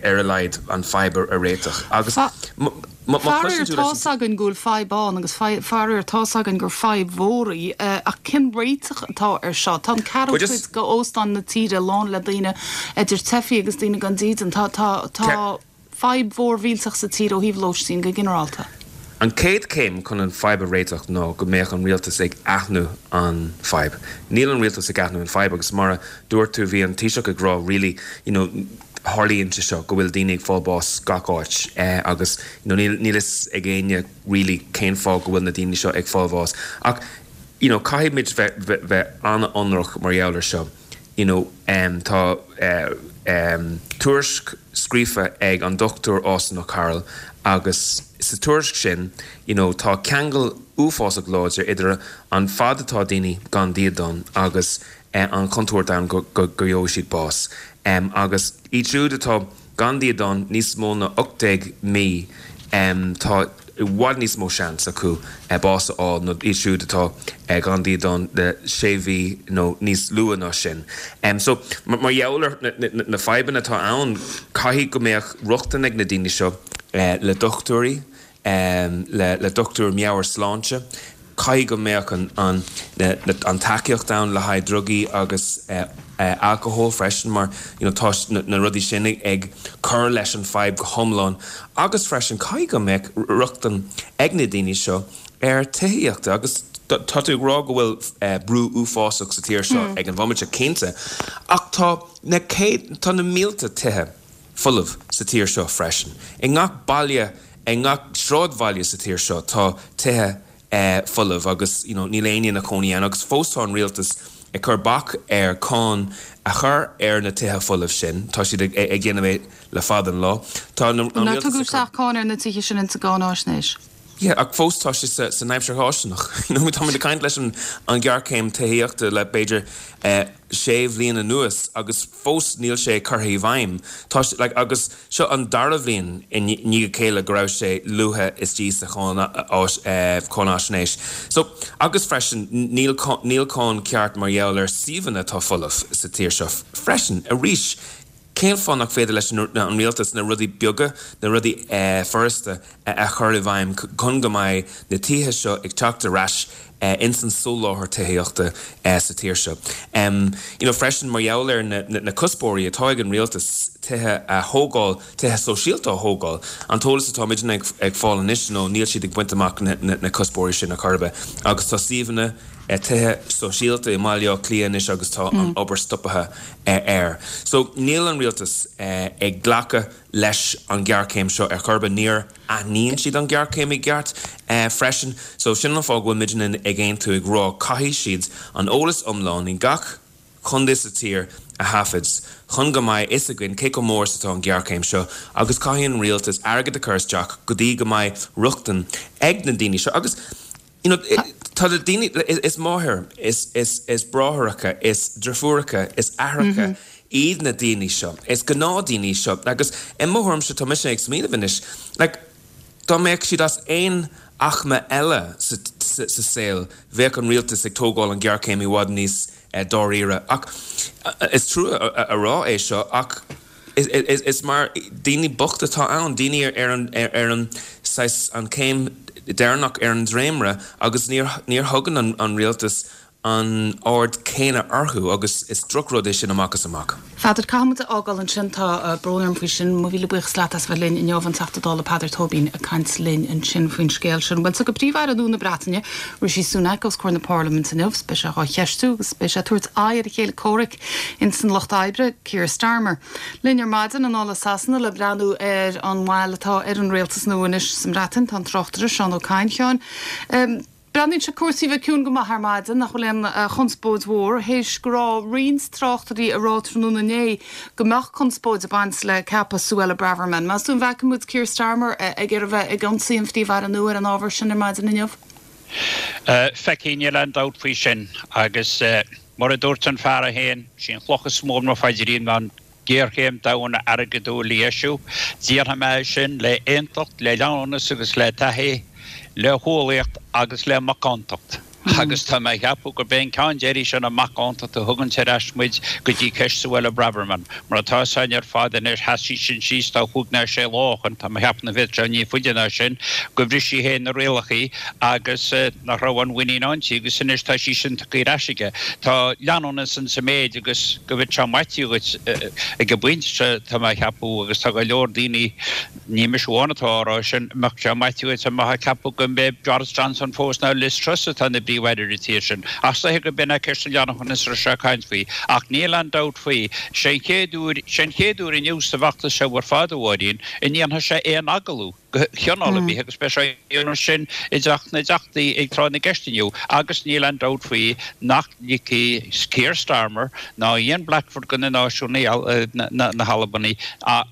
ar a laghad an fadhb a réiteach agus má chloiseann tú leis an. Faraor tá's againn go bhfuil fadhb ann agus faraor tá's againn gur fadhb mhór í ach cén réiteach atá ar seo? Tá an ceathrú cuid d'óstáin na tíre lán le daoine idir teifigh agus daoine gan dídean. Tá tá fadhb mhór mhillteach sa tír ó thaobh lóistín go ginearálta. An chéad chéim chun an fadhb a réiteach ná go mbeadh an rialtas ag aithniú an fadhb. Níl an rialtas ag aithniú an fadhb agus mar a dúirt tú bhí an Taoiseach ag rá really you know tharlaíonn sé seo go bhfuil daoine ag fáil bás gach áit agus you know níl níl fhios ag éinne really cén fáth go bhfuil na daoine seo ag fáil bháis ach you know caithfidh muid bheith bheith an-ionraic mar gheall ar seo you know tá tuairisc scríofa ag an Dr Austin O'Carroll agus sa tuairisc sin you know tá ceangal uafásach láidir idir an fad atá daoine gan dídean agus an chontúirt ann go gheobhaidh siad bás. Agus iad siúd atá gan dídean níos mó ná 18 mí, tá i bhfad níos mó seans acu bás a fháil ná iad siúd atá gan dídean le sé mhí nó níos lú ná sin. So, mar gheall ar na fadhbanna atá ann, caithfidh go mbeadh rochtain ag na daoine seo le dochtúirí, le dochtúir meabhairshláinte. Caithfidh go mbeadh an tacaíocht ann le haghaidh drugaí agus alcohol freisin mar you know tá na rudaí sin ag cur leis an fadhb go hiomlán agus freisin caithfidh go mbeadh rochtain ag na daoine seo ar tithíocht agus tá tú ag rá go bhfuil brú uafásach sa tír seo ag an bhomaite, cinnte, ach tá na céad, tá na mílte tithe. folamh sa tír seo freisin. I ngach baile, i ngach sráidbhaile sa tír seo tá tithe folamh agus you know níl éinne ina chónaí ann agus fós tá an rialtas ag cur bac ar cáin a chur ar na tithe folamh sin. Tá siad ag déanamh é le fada an lá. Tá an rialtas ag cur. Nár tugadh isteach cáin ar na tithe sin insa gcáináisnéis? Yeah, ach fós tá sé san aimsir fháistineach. You know, táimid ag caint leis an ghéarchéim tithíochta le b'fhéidir sé bhliain anuas agus fós níl sé curtha i bhfeidhm. Tá sé, like, agus seo an dara bhliain i ndiaidh a chéile go raibh sé luaite istigh sa cháinaisnéis. So, agus freisin níl níl cáin ceart mar gheall ar suíomhanna atá folamh sa tír seo freisin. Arís, Cén fáth nach féidir leis an rialtas na rudaí beaga, na rudaí furasta a chur i bhfeidhm chun go mbeidh na tithe seo ag teacht ar ais ins an soláthar tithíochta sa tír seo? You know, freisin mar gheall ar na cuspóirí atá ag an rialtas tithe a thógáil, tithe sóisialta a thógáil, an t-eolas atá muidne ag fáil anois nó níl siad ag baint amach na cuspóirí sin ar chor ar bith agus tá suíomhanna tithe sóisialta i mBaile Átha Cliath anois agus tá an obair stoptha air. So, níl an rialtas ag glacadh leis an ghéarchéim seo ar chor ar bith. Níor aithníonn siad an ghéarchéim i gceart freisin. So, sin an fáth go bhfuil muidne ag aontú ag rá caithfidh siad an eolas iomlán i ngach contae sa tír a thaifead chun go mbeidh fhios againn cé chomh mór is atá an ghéarchéim seo agus caithfidh an rialtas airgead a chur isteach go dtí go mbeidh rochtain ag na daoine seo agus You know, tá na daoine, is máthair, is, is, is bráithreacha, is driofúracha, is aithreacha iad na daoine seo, is gnáthdaoine seo agus i mo thuairimse tá mise ag smaoineamh anois, like, dá mbeadh siad as aon aicme eile sa, sa, sa saol bheadh an rialtas ag tógáil an ghéarchéim i bhfad níos dáiríre ach is trua a rá é seo ach is mar daoine bochta atá ann, daoine ar an ar an saghas an chéim deireanach ar an dréimire agus níor níor thugann an rialtas an aird céanna orthu agus is drochrud é sin amach is amach. Pheadair, caithfidh muid a fhágáil ansin, tá brón orm faoi sin. Mo mhíle buíochas leat as a bheith linn inniu, an Teachta Dála Peadar Tóibín ag caint linn ansin faoin scéal sin. Bhuel, tiocfaidh Príomh-Aire nua na Breataine, Rishi Sunak, os comhair na Parlaiminte inniu. Beidh sé dhá cheistiú agus beidh sé ag tabhairt aghaidh ar a chéile comhraic ins an Lucht Oibre, Keir Starmer. Linn ar maidin anall as Sasana le breathnú ar an bhail atá ar an rialtas nua anois sa mBreatain, tá an tráchtaire Seán Ó Cadhain. A Sheáin, breathnaíonn sé cúrsaí a bheith ciúin go maith ar maidin, nach bhfuil aon chonspóid mhór, théis go raibh roinnt tráchtairí ag rá tráthnóna inné go mbeadh conspóid ag baint le ceapadh Suella Braverman. Meas tú an bhfeicfidh muid Keir Starmer ag iarraidh bheith ag ionsaí an Phríomh-Aire nua ar an ábhar sin ar maidin inniu? Feicfidh, níl aon dabht faoi sin. Agus mar a dúirt an fear é féin, sí an chloch is mó ar mo phaidrín ná an ghéarchéim domhanda airgeadúil a dheisiú. Déanfaidh mé é sin le aontacht, le leanúnas agus le taithí, le humhlaíocht agus le macántacht. Agus tá mé a cheapadh gurb é an ceann deiridh sin an macántacht a thuganns ar ais muid go dtí ceist Suella Braverman. Mar atá fhios againn ar fad anois, sheas sí sin síos tá chúig ná sé lá ó shoin, tá mé a cheapadh nach bhféadfadh sé ní faide ná sin, go bhris sí féin na rialachaí agus nach raibh an mhuinín inti agus anois tá sí sin tugtha ar ais aige. Tá leanúnas insa méid agus go bhféadfadh sé maití dhuit ag an bpointe seo, tá mé a cheapadh, agus tá go leor daoine, Ní mise amháin atá á rá sin, mbeadh sé maite dhuit dá mbeifeá ag ceapadh go mbeidh Boris Johnson fós ná Liz Truss atá ina bPríomh-Aire ar an tír sin. Ach is dóiche go b'in é ceist an leanúnachais a raibh sé ag caint faoi. Ach níl aon dabht faoi, sé an chéad uair, sé an chéad uair inniu sa bhfeachtas seo ar fad, a Mháirín, a ndéanfaidh sé aon agallamh de chineál ar bith agus beidh sé á dhéanamh sin i dTeach na dTeachtaí ag tráth na gceist inniu agus níl aon dabht faoi nach ligfidh Keir Starmer ná Ian Blackford de na Náisiúnaigh, na hAlbanaigh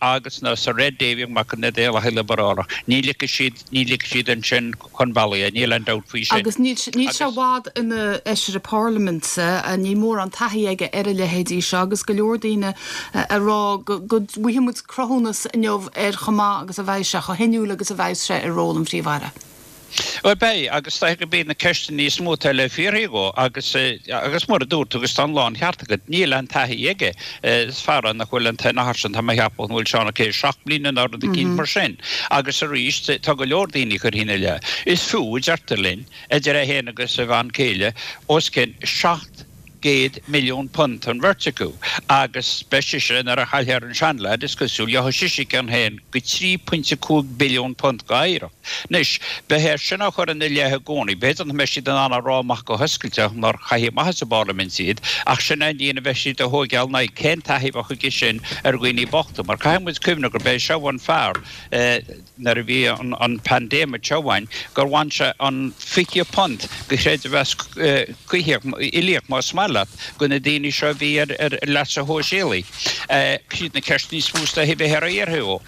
agus ná Sir Ed Davey amach na Daonlathaigh Liobrálach, ní ligfidh siad, ní ligfidh siad ansin chun bealaigh é, níl aon dabht faoi sin. Agus níl sé i bhfad ina fheisire parlaiminte, níl mórán taithí aige ar a leithéidí seo agus go leor daoine ag rá go bhfaighidh muid cruthúnas inniu ar chomh maith agus a bheidh sé, chomh hinniúil agus a bheidh sé i ról an Phríomh-Aire. Bhuel, beidh, agus is dóiche gurb iad na ceisteanna níos mó atá le fiafraí dhó, agus, agus mar a dúirt tú, agus tá an láncheart agat, níl aon taithí aige. Is fear é nach bhfuil an t-achar sin, tá mé a cheapadh, an bhfuil Seán Ó Cé 7 mbliana nó rud eicínt mar sin. Agus arís, tá go leor daoine a chuirfidh ina leith. Is fiú, a deirtear linn, idir é féin agus a bhean chéile, os cionn £700 milliún an bheirt acu, agus beidh sise, nuair a chaillfear an seanleaid, is cosúil, gheobhaidh sise a cion féin go £3.5 billiún d'oidhreacht. Anois, beidh é sin á chur ina leith i gcónaí. B'fhéidir nach mbeidh siad in ann a rá amach go hoscailte nár caitheadh amach as an bParlaimint iad, ach sin é an líon a bheidh siad a thóigeáil ina aghaidh. Cén taithí a bheadh aige sin ar dhaoine bochta? Mar caithfidh muid cuimhneamh gurb é seo an fear, nuair a bhí an paindéim seo againn, gur bhain sé an £20 de chreidmheas coimhthíoch, uilíoch más maith leat, de na daoine seo a bhí ar leasa shóisialaigh. Siad na ceisteanna is mó is dóiche a bheidh ar iarraidh ó.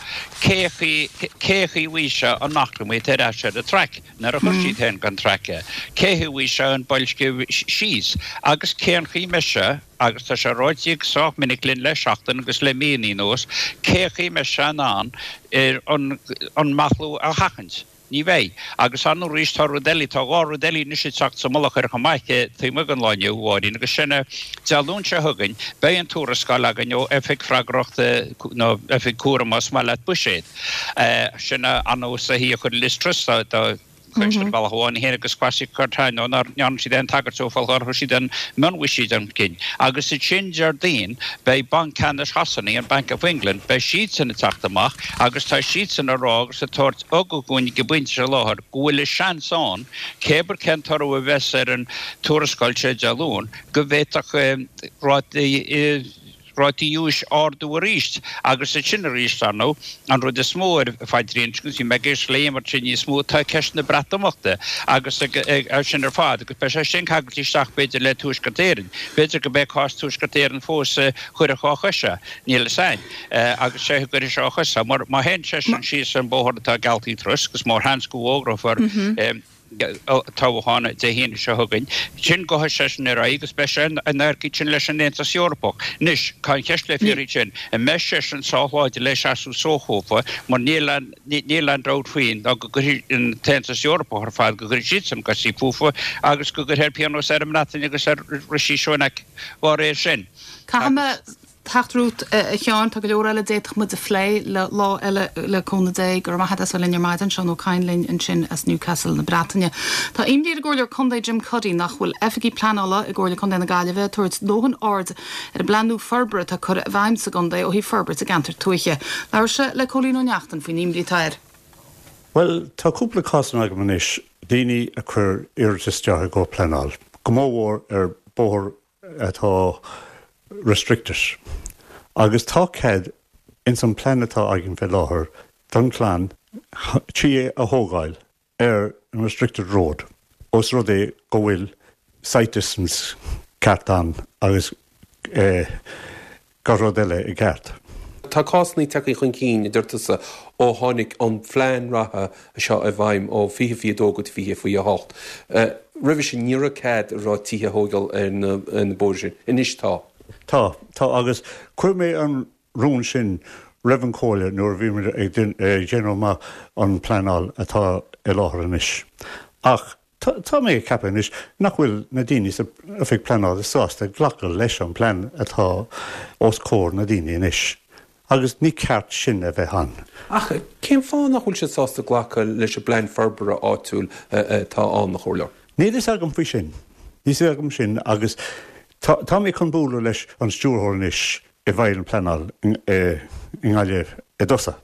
Cé chaoi, cé chaoi bhfaighidh sé an eacnamaíocht ar ais ar an traic, nuair a chuir siad féin den traic é? Cé chaoi bhfaighidh sé an boilsciú síos? Agus cén chaoi mbeidh sé, agus tá sé ráite go sách minic linn le seachtain agus le míonna anuas, cé chaoi mbeidh sé in ann an an meathlú a sheachaint? Ní bheidh. Agus ar ndóigh arís tá rud eile, tá dhá rud eile anois ag teacht sa mullach air chomh maith, taobh amuigh den lá inniu, a Mháirín, agus sin é, Dé Luain seo chugainn, beidh an tuarascáil againn ó Oifig Freagrachta, nó Oifig Cúraim más maith leat, Buiséad. Sin é an nós a chuir Liz Truss dá chuid ar bhealach amháin féin agus Kwasi Kwarteng nó nár ndearna siad aon tagairt dó fá nár chuir siad aon mhionbhuiséad chun cinn. Agus ansin Déardaoin beidh Banc Ceannais Shasana, an Bank of England, beidh siadsan ag teacht amach agus tá siadsan ag rá agus ag tabhairt ugach dúinn ag an bpointe seo i láthair go bhfuil a seans ann, cébir cén toradh a bheas ar an tuarascáil seo Dé Luain, go bhféadfadh rátaí rátaí úis ardú arís agus ansin arís, ar ndóigh, an rud is mó ar phaidrín, agus bhí mé ag éisteacht le Éimear ansin níos mó, tá ceist na Breatimeachta agus sin ar fad agus beidh sé sin ceangailte isteach b'fhéidir le Tuaisceart Éireann. B'fhéidir go b'é cás Tuaisceart Éireann fós a chuirfeadh á chois é, níl fhios a'inn, agus sé a gcuirfidh sé á chois é, mar má théann seisean síos an bóthar atá geallta ag Truss agus mórsheans go bhfógrófar toghchán Dé hAoine seo chugainn. Sin gabhfaidh seisean ar aghaidh agus beidh sé in adharca ansin leis an Aontas Eorpach. Anois, tá an cheist le fiafraí ansin, an mbeidh seisean sách láidir le seasamh suas dhófa mar níl aon, níl aon dabht faoi ná go gcuirfidh an tAontas Eorpach ar fad, go gcuirfidh siadsan gosaí fúthu agus go gcuirfear pionós ar an mBreatain agus ar Rishi Sunak dá réir sin. Caithfidh mé Teacht romhat, a Sheáin. Tá go leor eile a d'fhéadfadh muid a phlé le lá eile le cúnamh Dé. Go raibh maith agat as bheith linn ar maidin. Seán Ó Cadhain linn ansin as Newcastle na Breataine. Tá imní ar an gComhairleoir Contae Jim Cuddy nach bhfuil oifigigh pleanála i gComhairle Contae na Gaillimhe ag tabhairt dóthain aird ar an bplean nua forbartha atá curtha i bhfeidhm sa gcontae ó thaobh forbairt i gceantair tuaithe. Labhair sé le Cóilín Ó Neachtain faoin imní atá air. Bhuel, tá cúpla cásanna agam anois, daoine a chuir iarratas isteach i gcomhair pleanáil, go mór mhór ar bóthar atá restricted agus tá cead ins an plean atá againn fé láthair don chlann tí a thógáil ar an restricted road os rud é go bhfuil sight distance ceart ann agus gach rud eile i gceart. Tá cásanna tagtha chun cinn, a deir tusa, ó tháinig an phlean reatha seo i bhfeidhm ó 2022 go 2028. Roimhe sin ní raibh cead a raibh tithe a thóigeáil ar na bóithre sin. Anois tá. Tá, tá agus chuir mé an rún sin roimh an Chomhairle nuair a bhí muid ag déanamh amach an pleanáil atá i láthair anois. Ach. Tá mé ag ceapadh anois nach bhfuil na daoine sa oifig pleanála sásta glacadh leis an bplean atá os comhair na daoine anois agus ní ceart sin a bheith ann. Ach cén fáth nach bhfuil siad sásta glacadh leis an bplean forbartha áitiúil atá ann, a Chomhairleoir? Níl fhios agam faoi sin. Níl fhios agam sin agus tá mé chun bualadh leis an stiúrthóir anois i bhfeighil an pleanáil i nGaillimh i dtosach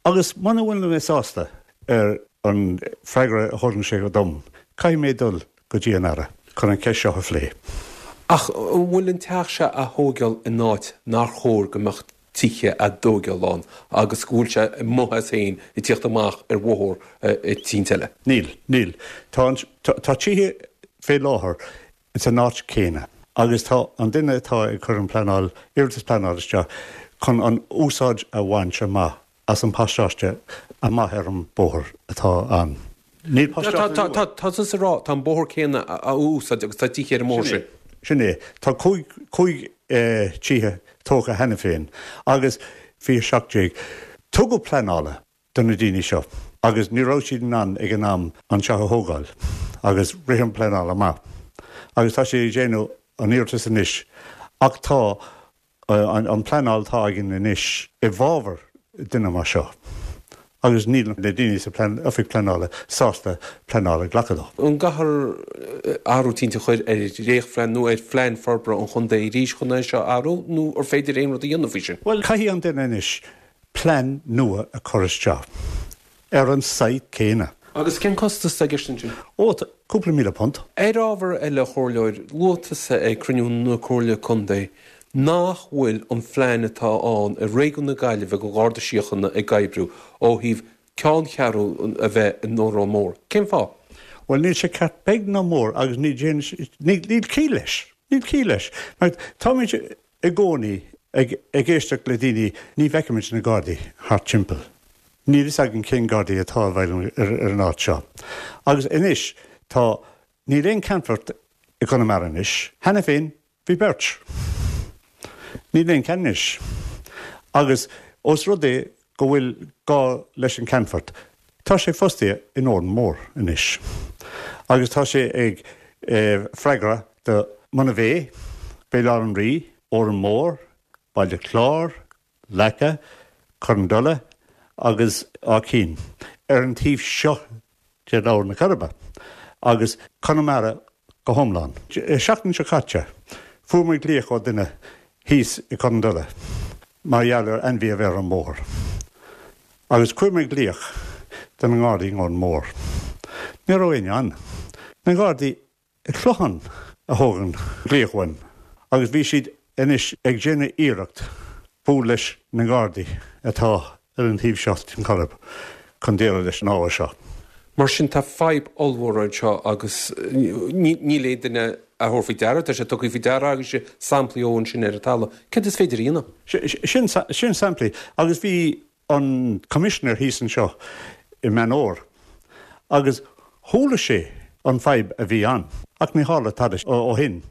agus muna bhfuil mé sásta ar an freagra a thugann sé dom, caithfidh mé dul go dtí an Aire chun an cheist seo a phlé. Ach an bhfuil an teach seo á thóigeáil in áit nár chóir go mbeadh tithe á dtóigeáil ann agus go bhfuil sé amuigh as féin ag tíocht amach ar bhóthar eicínt eile? Níl, níl. Tá an, tá tithe fé láthair san áit chéanna agus tá an duine atá ag cur an pleanáil, iarratas pleanála isteach chun an úsáid a bhaint amach as an pasáiste amach ar an bóthar atá ann. Níl pasáiste nua. Tá tusa ag rá, tá an bóthar céanna á úsáid agus tá tithe ar an mbóthar sin. Sin é. Tá 5 tithe tógtha cheana féin agus 2017 tugadh pleanála do na daoine seo agus ní raibh siad in ann ag an am an teach a thógáil agus rith an pleanáil amach agus tá siad ag déanamh an iarratas anois ach tá an pleanáil atá againn anois i bhfabhar duine mar seo agus níl na daoine sa oifig pleanála sásta pleanáil a ghlacadh dó. An gcaithfear athrú eicínt a chur ar dhréachtphlean nó ar phlean forbartha an chontae arís chun é seo a athrú nó ar féidir aon rud a dhéanamh faoi sin? Bhuel, caithfidh an duine anois plean nua a chur isteach ar an site céanna. Agus cén costas atá i gceist ansin? Ó, cúpla £1,000. Ar ábhar eile, a Chomhairleoir, luaigh tusa ag cruinniú na Comhairle Contae nach bhfuil an phlean atá ann i réigiún na Gaillimhe don Gharda Síochána ag oibriú ó thaobh ceanncheathrú a bheith in Órán Mór. Cén fáth? Bhuel, níl sé ceart beag ná mór agus ní níl ciall leis. Níl ciall leis. Mar táimid i gcónaí ag éisteacht le daoine, ní bhfeicimid na Gardaí thart timpeall. Níl fhios againn cén Gardaí atá i bhfeidhm ar an áit seo. Agus anois tá, níl aon ceannfort i gConamara anois. Cheana féin bhí beirt. Níl aon ceann anois. Agus ós rud é go bhfuil gá leis an ceannfort, tá sé fostaithe in Órán Mór anois agus tá sé ag freagra do Monivea, Béal Átha an Rí, Órán Mór, Baile Chláir, Leaca, Corran Dola agus Áth Cinn ar an taobh seo de Abhainn na Coiribe agus Conamara go hiomlán. Seachtain seo caite, fuair muid glaoch ó duine thíos i Corran Dola mar gheall ar ainmhí a bheith ar an mbóthar agus chuir muid glaoch do na nGardaí in Órán Mór. Ní raibh éinne ann. Na Gardaí i Clochán a thóg an glaoch uaim agus bhí siad anois ag déanamh iarracht bualadh leis na Gardaí atá ar an taobh seo den Choirib chun déileáil leis an ábhar seo. Mar sin tá fadhb ollmhór anseo agus níl aon duine á thabhairt faoi deara, tá sé tugtha faoi deara agaibhse samplaí ó ansin ar an talamh. Céard is féidir a dhéanamh? Sin sin samplaí agus bhí an Coimisinéir thíos anseo i Meán Fhómhair agus chuala sé an fadhb a bhí ann ach ní tharla tada ó shin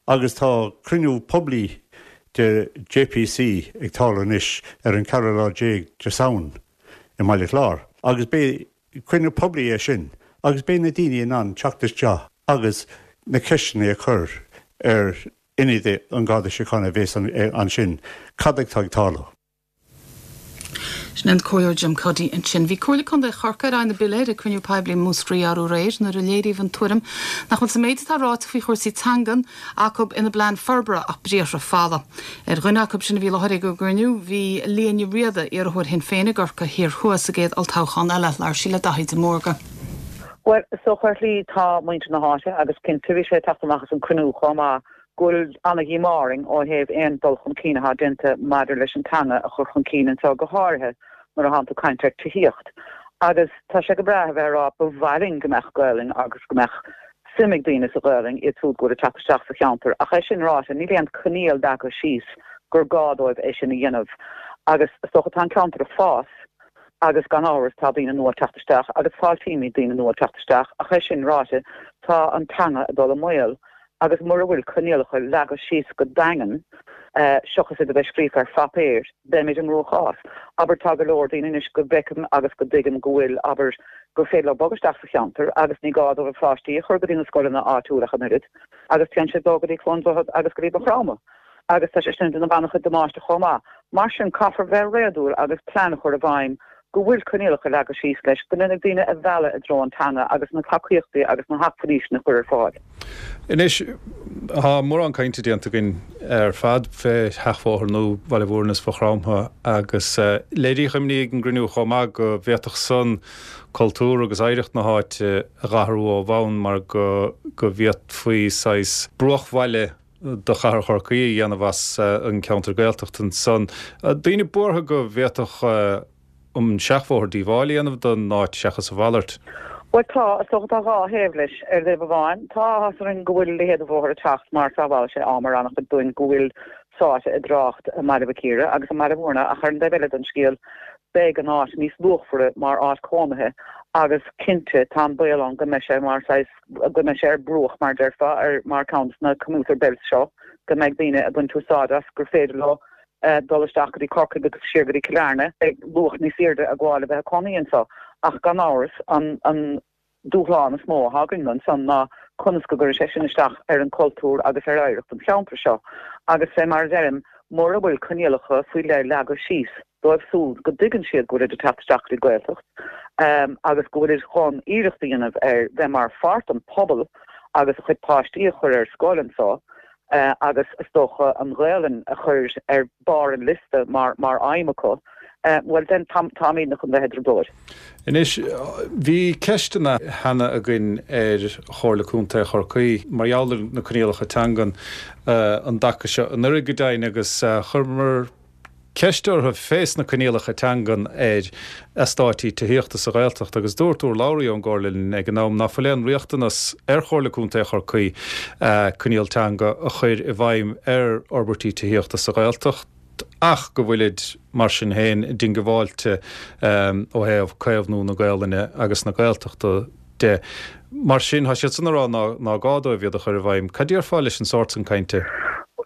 agus tá cruinniú poiblí de JPC ag tarlú anois ar an ceathrú lá déag de Samhain i mBaile Chláir agus beidh cruinniú poiblí é sin agus beidh na daoine in ann teacht isteach agus na ceisteanna a chur ar ionadaithe an Gharda Síochána a bhéas ansin cad atá ag tarlú. Sin é an Comhairleoir Jim Cuddy ansin. Bhí Comhairle Contae Chorcaí ar aghaidh na bpiléar ag cruinniú poiblí i Múscraí arú aréir nuair a léiríodh an tuairim nach bhfuil sa méid atá ráite faoi chúrsaí teangan acu ina bplean forbartha ach briathra folamh. Ar dhuine acu sin a bhí i láthair ag an gcruinniú bhí Liadh Ní Riada, iarrthóir Shinn Féin i gCorcaigh Thiar Thuaidh sa gcéad olltoghchán eile. Labhair sí le Daithí de Mórdha. Bhuel, is dócha ar shlí tá muintir na háite agus cinnte bhí sé ag teacht amach as an cruinniú chomh maith go bhfuil ana-dhíomá orainn ó thaobh aon dul chun cinn atá déanta maidir leis an teanga a chur chun cinn anseo, go háirithe nuair a thánn tú ag caint ar tithíocht. Agus tá sé go breá a bheith ag rá ba mhaith linn go mbeadh Gaelainn agus go mbeadh suim ag daoine sa Ghaelainn, iad siúd go bhfuil ag teacht isteach sa cheantar. Ach é sin ráite, níl aon choinníoll leagtha síos gur gá dóibh é sin a dhéanamh. Agus is dócha tá an ceantar ag fás agus gan amhras tá daoine nua ag teacht isteach agus fáiltímid daoine nua ag teacht isteach ach é sin ráite tá an teanga ag dul i mbaol. agus mura bhfuil coinníollacha leagtha síos go daingean. Seachas iad a bheith scríofa ar phaipéar, beimid i gcruachás. Abair, tá go leor daoine anois go bhfeicim agus go dtuigim go bhfuil, abair, gur féidir leo bogadh isteach sa cheantar agus ní gá dóibh a pháistí a chur go dtí na scoileanna áitiúla ach an oiread agus téann siad leo go dtí Cluain Droichead agus go dtí Maigh Chromtha agus tá sé sin ag déanamh an-chuid damáiste chomh maith. Mar sin, caithfear bheith réadúil agus plean a chur i bhfeidhm go bhfuil coinníollacha leagtha síos leis go ndéanfaidh daoine a mhealladh i dtreo an teanga agus na tacaíochtaí agus na hacmhainní sin a chur ar fáil. Anois, tá mórán cainte déanta againn ar fad fé sheachbhóthar nua Bhaile Mhúirne is Mhaigh Chromtha agus léiríodh imní ag an gcruinniú chomh maith go bhféadfadh san cultúr agus oidhreacht na háite a dh'athrú ó bhonn mar go go bhféadfaí saghas bruachbhaile do chathair Chorcaí a dhéanamh as an gceantar Gaeltachta ansan. Daoine buartha go bhféadfadh an seachbhóthar díobháil a dhéanamh don áit seachas a mhalairt. Bhuel tá, is dócha tá dhá thaobh leis. Ar thaobh amháin, tá áthas orainn go bhfuil a leithéid de bhóthar ag teacht mar sábhálfaidh sé am ar an-chuid dúinn go bhfuil sáite i dtrácht i mBaile Mhic Íre agus i mBaile Mhúirne ach ar an dtaobh eile den scéal beidh an áit níos luachmhaire mar áit cónaithe agus cinnte tá an baol ann go mbeidh sé mar saghas go mbeidh sé ar bruach, mar a déarfá, ar mar ceann de na commuter belts seo, go mbeidh daoine ag baint úsáid as, gur féidir leo dul isteach go dtí Corcaigh agus siar go dtí Cill Airne. Beidh luach níos airde ag gabháil le bheith ag cónaí anseo. Ach gan amhras, an an dúshlán is mó atá againn ansan ná conas go gcuirfidh sé sin isteach ar an cultúr agus ar oidhreacht an cheantair seo. Agus fé mar a deirim, mura bhfuil coinníollacha faoi leith leagtha síos, dóibh súd go dtuigeann siad go bhfuilid ag teacht isteach go dtí Gaeltacht agus go bhfuilid chun iarracht a dhéanamh ar bheith mar pháirt den phobal agus a chuid páistí a chur ar scoil anso agus is dócha an Ghaelainn a chur ar barr an liosta mar mar aidhm acu, bhuel then táimidne chun bheith i dtrioblóid. Anois, bhí ceisteanna cheana againn ar Chomhairle Contae Chorcaí mar gheall ar na coinníollacha teangan an dtaca seo anuraidh go deimhin agus chuireamar ceist orthu fés na coinníollacha teangan ar eastáití tithíochta sa Ghaeltacht agus dúirt urlabhraí ón gComhairle linn ag an am ná fuil aon riachtanas ar Chomhairle Contae Chorcaí coinníoll teanga a chur i bhfeidhm ar fhorbairtí tithíochta sa Ghaeltacht ach go bhfuilid mar sin féin diongbháilte ó thaobh caomhnú na Gaolainne agus na Gaeltachta de. Mar sin, tá siad san ag rá ná gá dóibh iad a chur i bhfeidhm. Cad déarfá leis an sórt san cainte?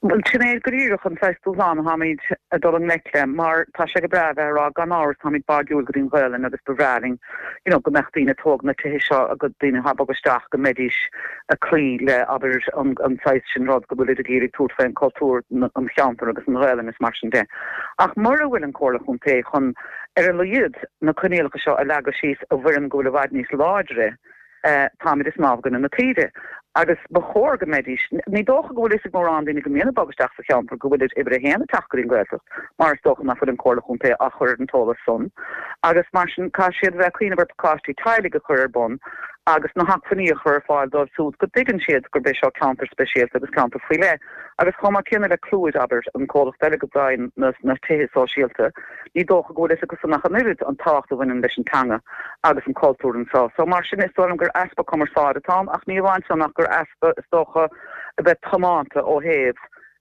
Bhuel, sin é go díreach an saghas dúshlán atáimid ag dul i ngleic le, mar tá sé go breá a bheith ag rá gan amhras táimid báigiúil go dtí an Ghaelainn agus ba bhreá linn you know go mbeadh daoine ag tóg na tithe seo agus daoine atá ag bogadh isteach go mbeidís ag cloí le abair an an saghas sin rud go bhfuilid ag iarraidh tabhairt faoin cultúr an cheantair agus an Ghaelainn is mar sin de. Ach mura bhfuil an Comhairle Chontae chun Ar a laghad, na coinníollacha seo a leagadh síos i bhfoirm go bhfuil i bhfad níos láidre, táimid ag snámh i gcoinne na taoide. Agus ba chóir go mbeidís. Ní dócha go bhfuil fhios ag mórán daoine go mbíonn ag bogadh isteach sa cheantar go bhfuilid uimhir a haon ag teacht go dtí an Ghaeltacht, mar is dócha nach bhfuil an Comhairle Chontae á chur ar an t-eolas san. Agus mar sin, caithfidh siad a bheith ag cuimhneamh ar pacáistí teaghlaigh a chur ar bun agus na hacmhainní a chur ar fáil dóibh siúd go dtuigeann siad gurb é seo ceantar speisialta agus ceantar faoi leith. Agus chomh maith céanna le Clúid, abair, an comhlacht eile go bhfaigheann na tithe sóisialta, Ní dócha go bhfuil fhios acusan ach an oiread an tábhacht a bhaineann leis an teanga agus an cultúr anseo. So mar sin is dóigh liom gur easpa cumarsáide atá ann ach ní amháin san ach gur easpa is dócha a bheith tiomanta ó thaobh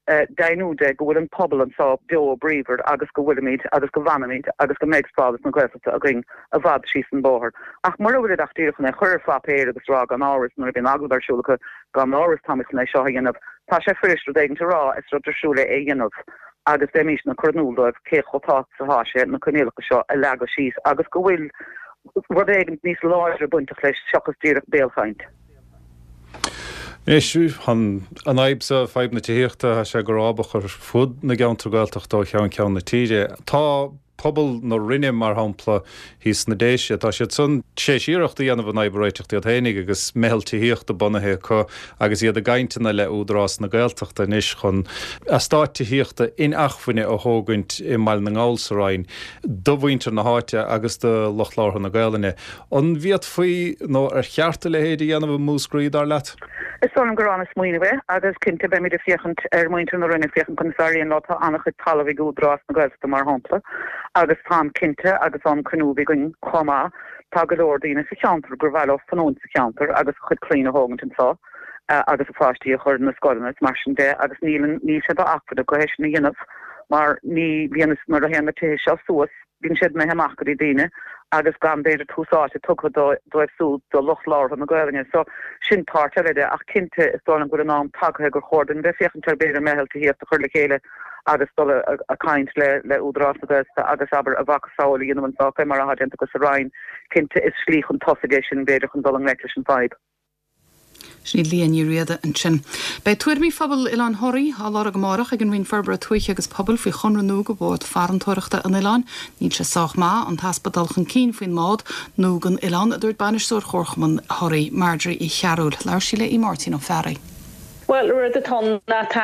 deimhniú de go bhfuil an pobal anseo beo bríomhar agus go bhfuilimid agus go bhfanfaimid agus go mbeidh stádas na Gaeltachta againn i bhfad síos an bóthar. Ach mura bhfuilid ach díreach chun é chur ar pháipéar agus rá gan amhras nuair a bhíonn agallamh ar siúl acu gan amhras táimid chun é seo a dhéanamh, tá sé fuirist rud éigint a rá, is rud difriúil é é a dhéanamh. agus bheimísne ag cur in iúl dóibh cé chomh tábhachtach is atá sé na coinníollacha seo a leagadh síos agus go bhfuil rud éigin níos láidre bainteach leis seachas díreach béalchaint. Anois, an fhadhb seo, fadhb na tithíochta, tá sé go rábach ar fud na gceantar Gaeltachta ó cheann ceann na tíre. Tá pobal na Rinne, mar shampla, thíos sna Déise, tá siad san tar éis iarracht a dhéanamh an fhadhb a réiteacht iad féinig agus meitheal tithíochta bunaithe acu agus iad i gcainteanna le Údarás na Gaeltachta anois chun eastát tithíochta inacmhainne a thógaint i mBaile na nGall sa Rinn do mhuintir na háite agus do lucht labhartha na Gaelainne. An bhféadfaí nó ar cheart a leithéid a dhéanamh i Múscraí, dar leat? Is dóigh liom gur an-smaoineamh é agus cinnte beimid ag féachaint ar mhuintir na Rinne, féachaint conas a éiríonn leo. Tá an-chuid talaimh ag Údarás na Gaeltachta mar shampla agus táim cinnte agus ón cruinniú a bhí againn chomh maith, tá go leor daoine sa cheantar gur mhaith leo fanúint sa cheantar agus a chuid clainne a thógaint anseo agus a pháistí a chur na scoileanna is mar sin de agus níl níl sé d'acmhainn acu é sin a dhéanamh mar ní bhíonn nuair a théann na tithe seo suas Bíonn siad imithe amach go dtí daoine agus gan b'fhéidir tús áite tugtha dóibh siúd, do lucht labhartha na Gaelainne. So, sin páirt eile de. Ach cinnte, is dóigh liom go bhfuil an am tagtha gur chóir dúinn bheith féachaint ar b'fhéidir meitheal tithíochta a chur le chéile. agus dul a caint le le Údarás na Gaeltachta agus abair a mhacasamhail a dhéanamh anseo fé mar atá déanta acu sa Rinn. Cinnte is slí chun tosaigh é sin b'fhéidir chun dul i ngleic leis an bhfadhb. Sin í Liadh Ní Riada ansin. Beidh tuairimí phobal Oileán Thoraí á lorg amárach ag an Roinn Forbartha Tuaithe agus Pobail faoi chonradh nua do bhád farantóireachta an oileáin. Níl sé sách maith, an t-easpa dul chun cinn faoin mbád nua don oileán, a dúirt bainisteoir Chomharchumann Thoraí, Marjorie Uí Chearúil. Labhair sí le Aodh Máirtín Ó Fearraigh. Bhuel, rud atá ann ná tá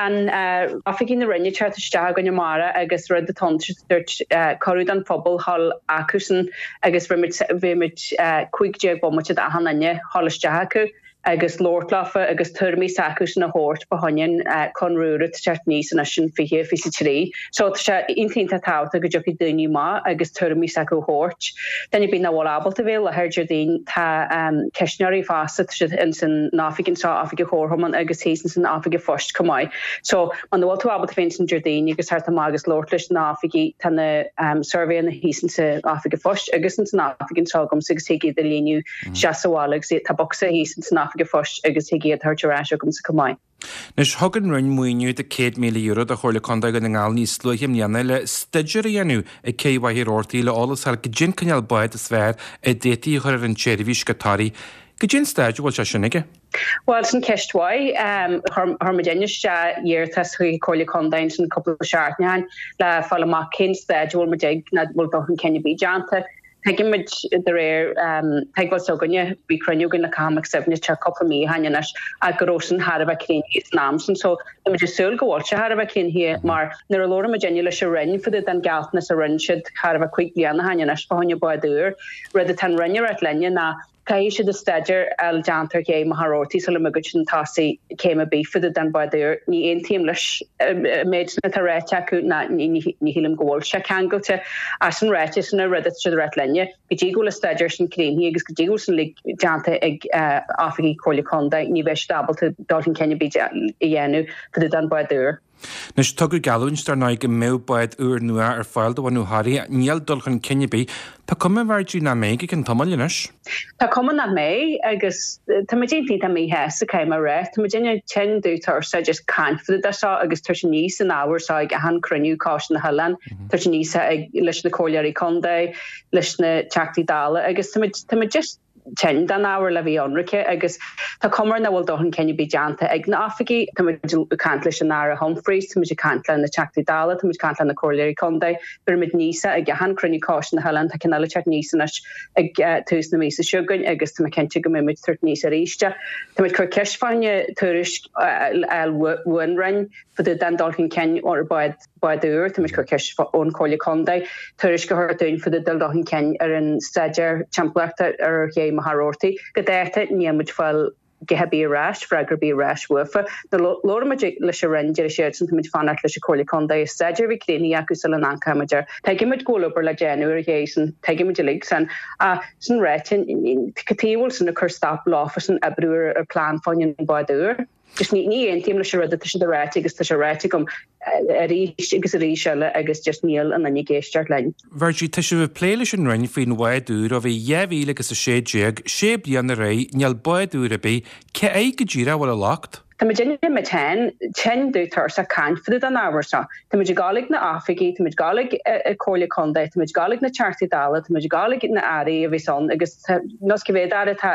oifigigh na Roinne ag teacht isteach againn amárach agus rud atá ann tá siad ag tabhairt cuireadh don phobal dhul acusan agus bheidh muid 15 bomaite d'achan duine dhul isteach acu agus labhairt leofa agus tuairimí s'acusan a thabhairt fá choinne an conradh úr atá ag teacht aníos anois in 2023. So tá sé iontach iontach tábhachtach go dtiocfaidh daoine amach agus tuairimí s'acu a thabhairt. Duine ar bith nach bhfuil ábalta bheith i láthair Déardaoin tá ceistneoirí fosta, tá siad ins an oifig anseo, oifig an Chomharchumainn agus thíos ins an oifig an phoist chomh maith. So muna bhfuil tú ábalta bheith ansin Déardaoin agus theacht amach agus labhairt leis na hoifigigh tá na suirbhéanna thíos ins an oifig an phoist agus ins an oifig anseo agamsa agus thig iad a líonadh isteach sa bhaile agus tá bocsa thíos ins an oifig an phoist agus thig iad a thabhairt ar ais agamsa chomh maith. Anois, thug an Roinn maoiniú de €100,000 do Chomhairle Contae Dhún na nGall níos luaithe i mbliana le staidéar a dhéanamh ag Cé Mhachaire Rabhartaigh le eolas a fháil goidé an cineál bád is fearr a d'fhéadfaí a chur ar an tseirbhís go Toraigh. Goidé an staid a bhfuil sé sin aige? Bhuel, sin ceist mhaith. Chuir muidinne isteach iarratas chuig an Chomhairle Contae ansin cúpla seachtain ó shin le fáil amach cén staid a bhfuil muid ag, nach bhfuil dul chun cinn ar bith déanta. Tuigimid de réir teagmháil s'againne, bhí cruinniú againn le Cathal Mac Suibhne tá cúpla mí ó shin anois ach go raibh sin thar a bheith críochnaithe san am sin so tá muid ag súil go bhfuil sé thar a bheith críochnaithe mar nuair a labhair muidinne leis an Roinn fá dtaobh den gealltanas a rinne siad chóir a bheith 5 bliana ó shin anois fá choinne bád úr, rud atá an Roinn ag ráit linne ná Caithfidh siad an staidéar a fháil déanta ar ché Mhachaire Rabhartaigh sula mbogann siad chun tosaigh céim ar bith fá dtaobh den bhád úr. Ní aontaím leis an méid sin atá ráite acu ná ní shílim go bhfuil sé ceangailte. Ach sin ráite, sin an rud atá siad ag ráit linne, go dtí go bhfuil an staidéar sin críochnaithe agus go dtí go bhfuil sin uilig déanta ag oifigigh Comhairle Contae, ní bheidh siad ábalta dul chun cinn ar bith a dhéanamh fá dtaobh den bhád úr. Anois, tugadh geallúint, dar ndóigh, go mbeadh bád úr nua ar fáil do bhunú Thoraí. Níl dul chun cinn ar bith. Tá cuma, a Mharjorie, nach mbeidh go ceann tamaill anois. Tá cuma nach mbeidh agus tá muid iontach iontach míshásta, caithfidh mé a rá. Tá muidinne tinn dubh tuirseach just caint fá dtaobh de seo agus tabhairt aníos an ábhar seo ag achan cruinniú Coiste na hOileán, tabhairt aníos ag leis na comhairleoirí contae, leis na Teachtaí Dála agus tá muid tá muid just tinn den ábhar le bheith ionraice agus tá cuma air nach bhfuil dul chun cinn ar bith déanta ag na oifigigh. Tá muid ag caint leis an Aire Humphreys, tá muid ag caint le na Teachtaí Dála, tá muid ag caint le na Comhairleoirí Contae, beirimid aníos é ag achan cruinniú Coiste na hOileán, tá ceann eile ag teacht aníos anois ag tús na míosa seo chugainn agus tá mé cinnte go mbeidh muid ag tabhairt aníos arís é. Tá muid ag cur ceist fá choinne tuairisc a fháil ón Roinn fá dtaobh den dul chun cinn ar bád bád úr, tá muid ag cur ceist ón Chomhairle Contae tuairisc a thabhairt dúinn fá dtaobh den dul chun cinn ar an staidéar timpeallachta ar ché Mhachaire Rabhartaigh. Go dáta, níl muid ag fáil guth ar bith ar ais, freagra ar bith ar ais uafa. Nuair a labhair muid leis an Roinn deir siadsan tá muid ag fanacht leis an Chomhairle Contae an staidéar a bheith críochnaithe acu sula n-amharcfaidh muid air. Tuigimid go bhfuil obair le déanamh ar an ché sin, tuigimid uilig san. Ach sin ráite, cad chuige a bhfuil sin ag cur stop leofasan oibriú ar an plean fá choinne an bád úr. Just ní aontaím leis an rud atá siad a ráite agus tá sé ráite agam arís agus arís eile agus just níl aon duine ag éisteacht linn. Mharjorie, tá sibh ag plé leis an Roinn faoin bhád úr ó bhí 2016, sé bliana ar aghaidh, níl bád úr ar bith, cé air go díreach a bhfuil an locht? Tá muid muid féin tinn dubh tuirseach caint fá dtaobh den ábhar seo. Tá muid ag dul ag na oifigí, tá muid ag dul ag an Comhairle Contae, tá muid ag dul ag na Teachtaí Dála, tá muid ag dul ag na Airí a bhíos ann agus nós cé mhéad Aire atá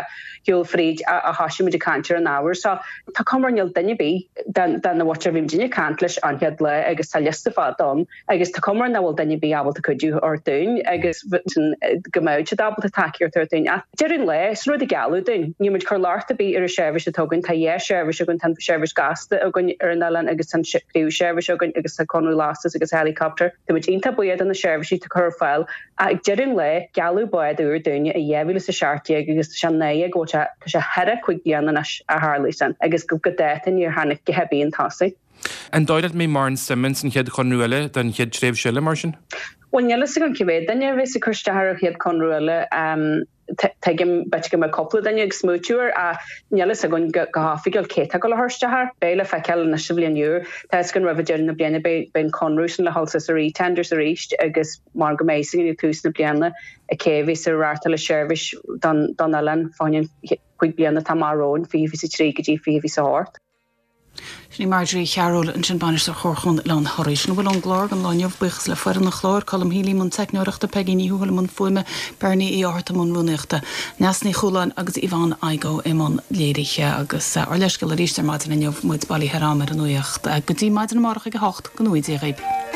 shiúl fríd ó thosaigh muid ag caint ar an ábhar seo. Tá cuma ar níl duine ar bith den mhuintir a bhí muidinne ag caint leis an chéad lá agus tá liosta fada ann agus tá cuma air nach bhfuil duine ar bith ábalta cuidiú a thabhairt dúinn agus go mbeadh siad ábalta tacaíocht a thabhairt dúinn. Ach deireadh an lae, sin rud a gealladh dúinn. Níl muid ag cur locht ar bith ar an seirbhís atá againn. Tá dhá sheirbhís againn, tá an seirbhís gasta againn ar an oileán agus tá an príomhsheirbhís againn agus tá conradh lastas agus helicopter. Tá muid iontach buíoch do na seirbhísí atá curtha ar fáil Ach ag deireadh an lae, gealladh bád úr dúinne i 2017 agus tá sé náireach go bhfuil sé, tá sé thar a 5 bliana anois ó tharlaigh sin agus go dáta níor tháinig guth ar bith chun tosaigh. An dóigh leat go mbeidh Martin Simmons an chéad chonradh eile don chéad tréimhse eile mar sin? Bhuel níl fhios agam cé mhéad duine a bheas ag cur isteach ar an chéad chonradh eile. Tuigim b'fhéidir go mbeidh cúpla duine ag smaoitiú air ach níl fhios againn go hoifigiúil cé atá ag dul a chur isteach air. Beidh le feiceáil anois sa bhliain úr. Tá fhios againn roimh deireadh na bliana beidh an conradh sin le dhul suas ar e-tenders arís agus mar go mbeidh fhios againn ag tús na bliana cé a bheas ag reáchtáil an seirbhís don oileán fá choinne an chúig bliana atá amach romhainn, 2023 go dtí 2028. Sin í Marjorie Chearúil ansin, Bainisteoir Chomharchumann Oileán Thoraí. Sin a bhfuil ón gclár don lá inniu. Buíochas le foireann an chláir, Colm Healy i mbun teicneoireachta, Peigí Ní Thuathail i mbun fuaime, Bernie Uí Fhátharta i mbun rúnaíochta, Neasa Ní Chualáin agus Yvonne Igoe i mbun léirithe. Agus ár leithscéal arís ar maidin inniu, muid bailithe ar am ar an nuacht. Go dtí maidin amárach ag a hocht, go ngnóthaí Dia dhaoibh.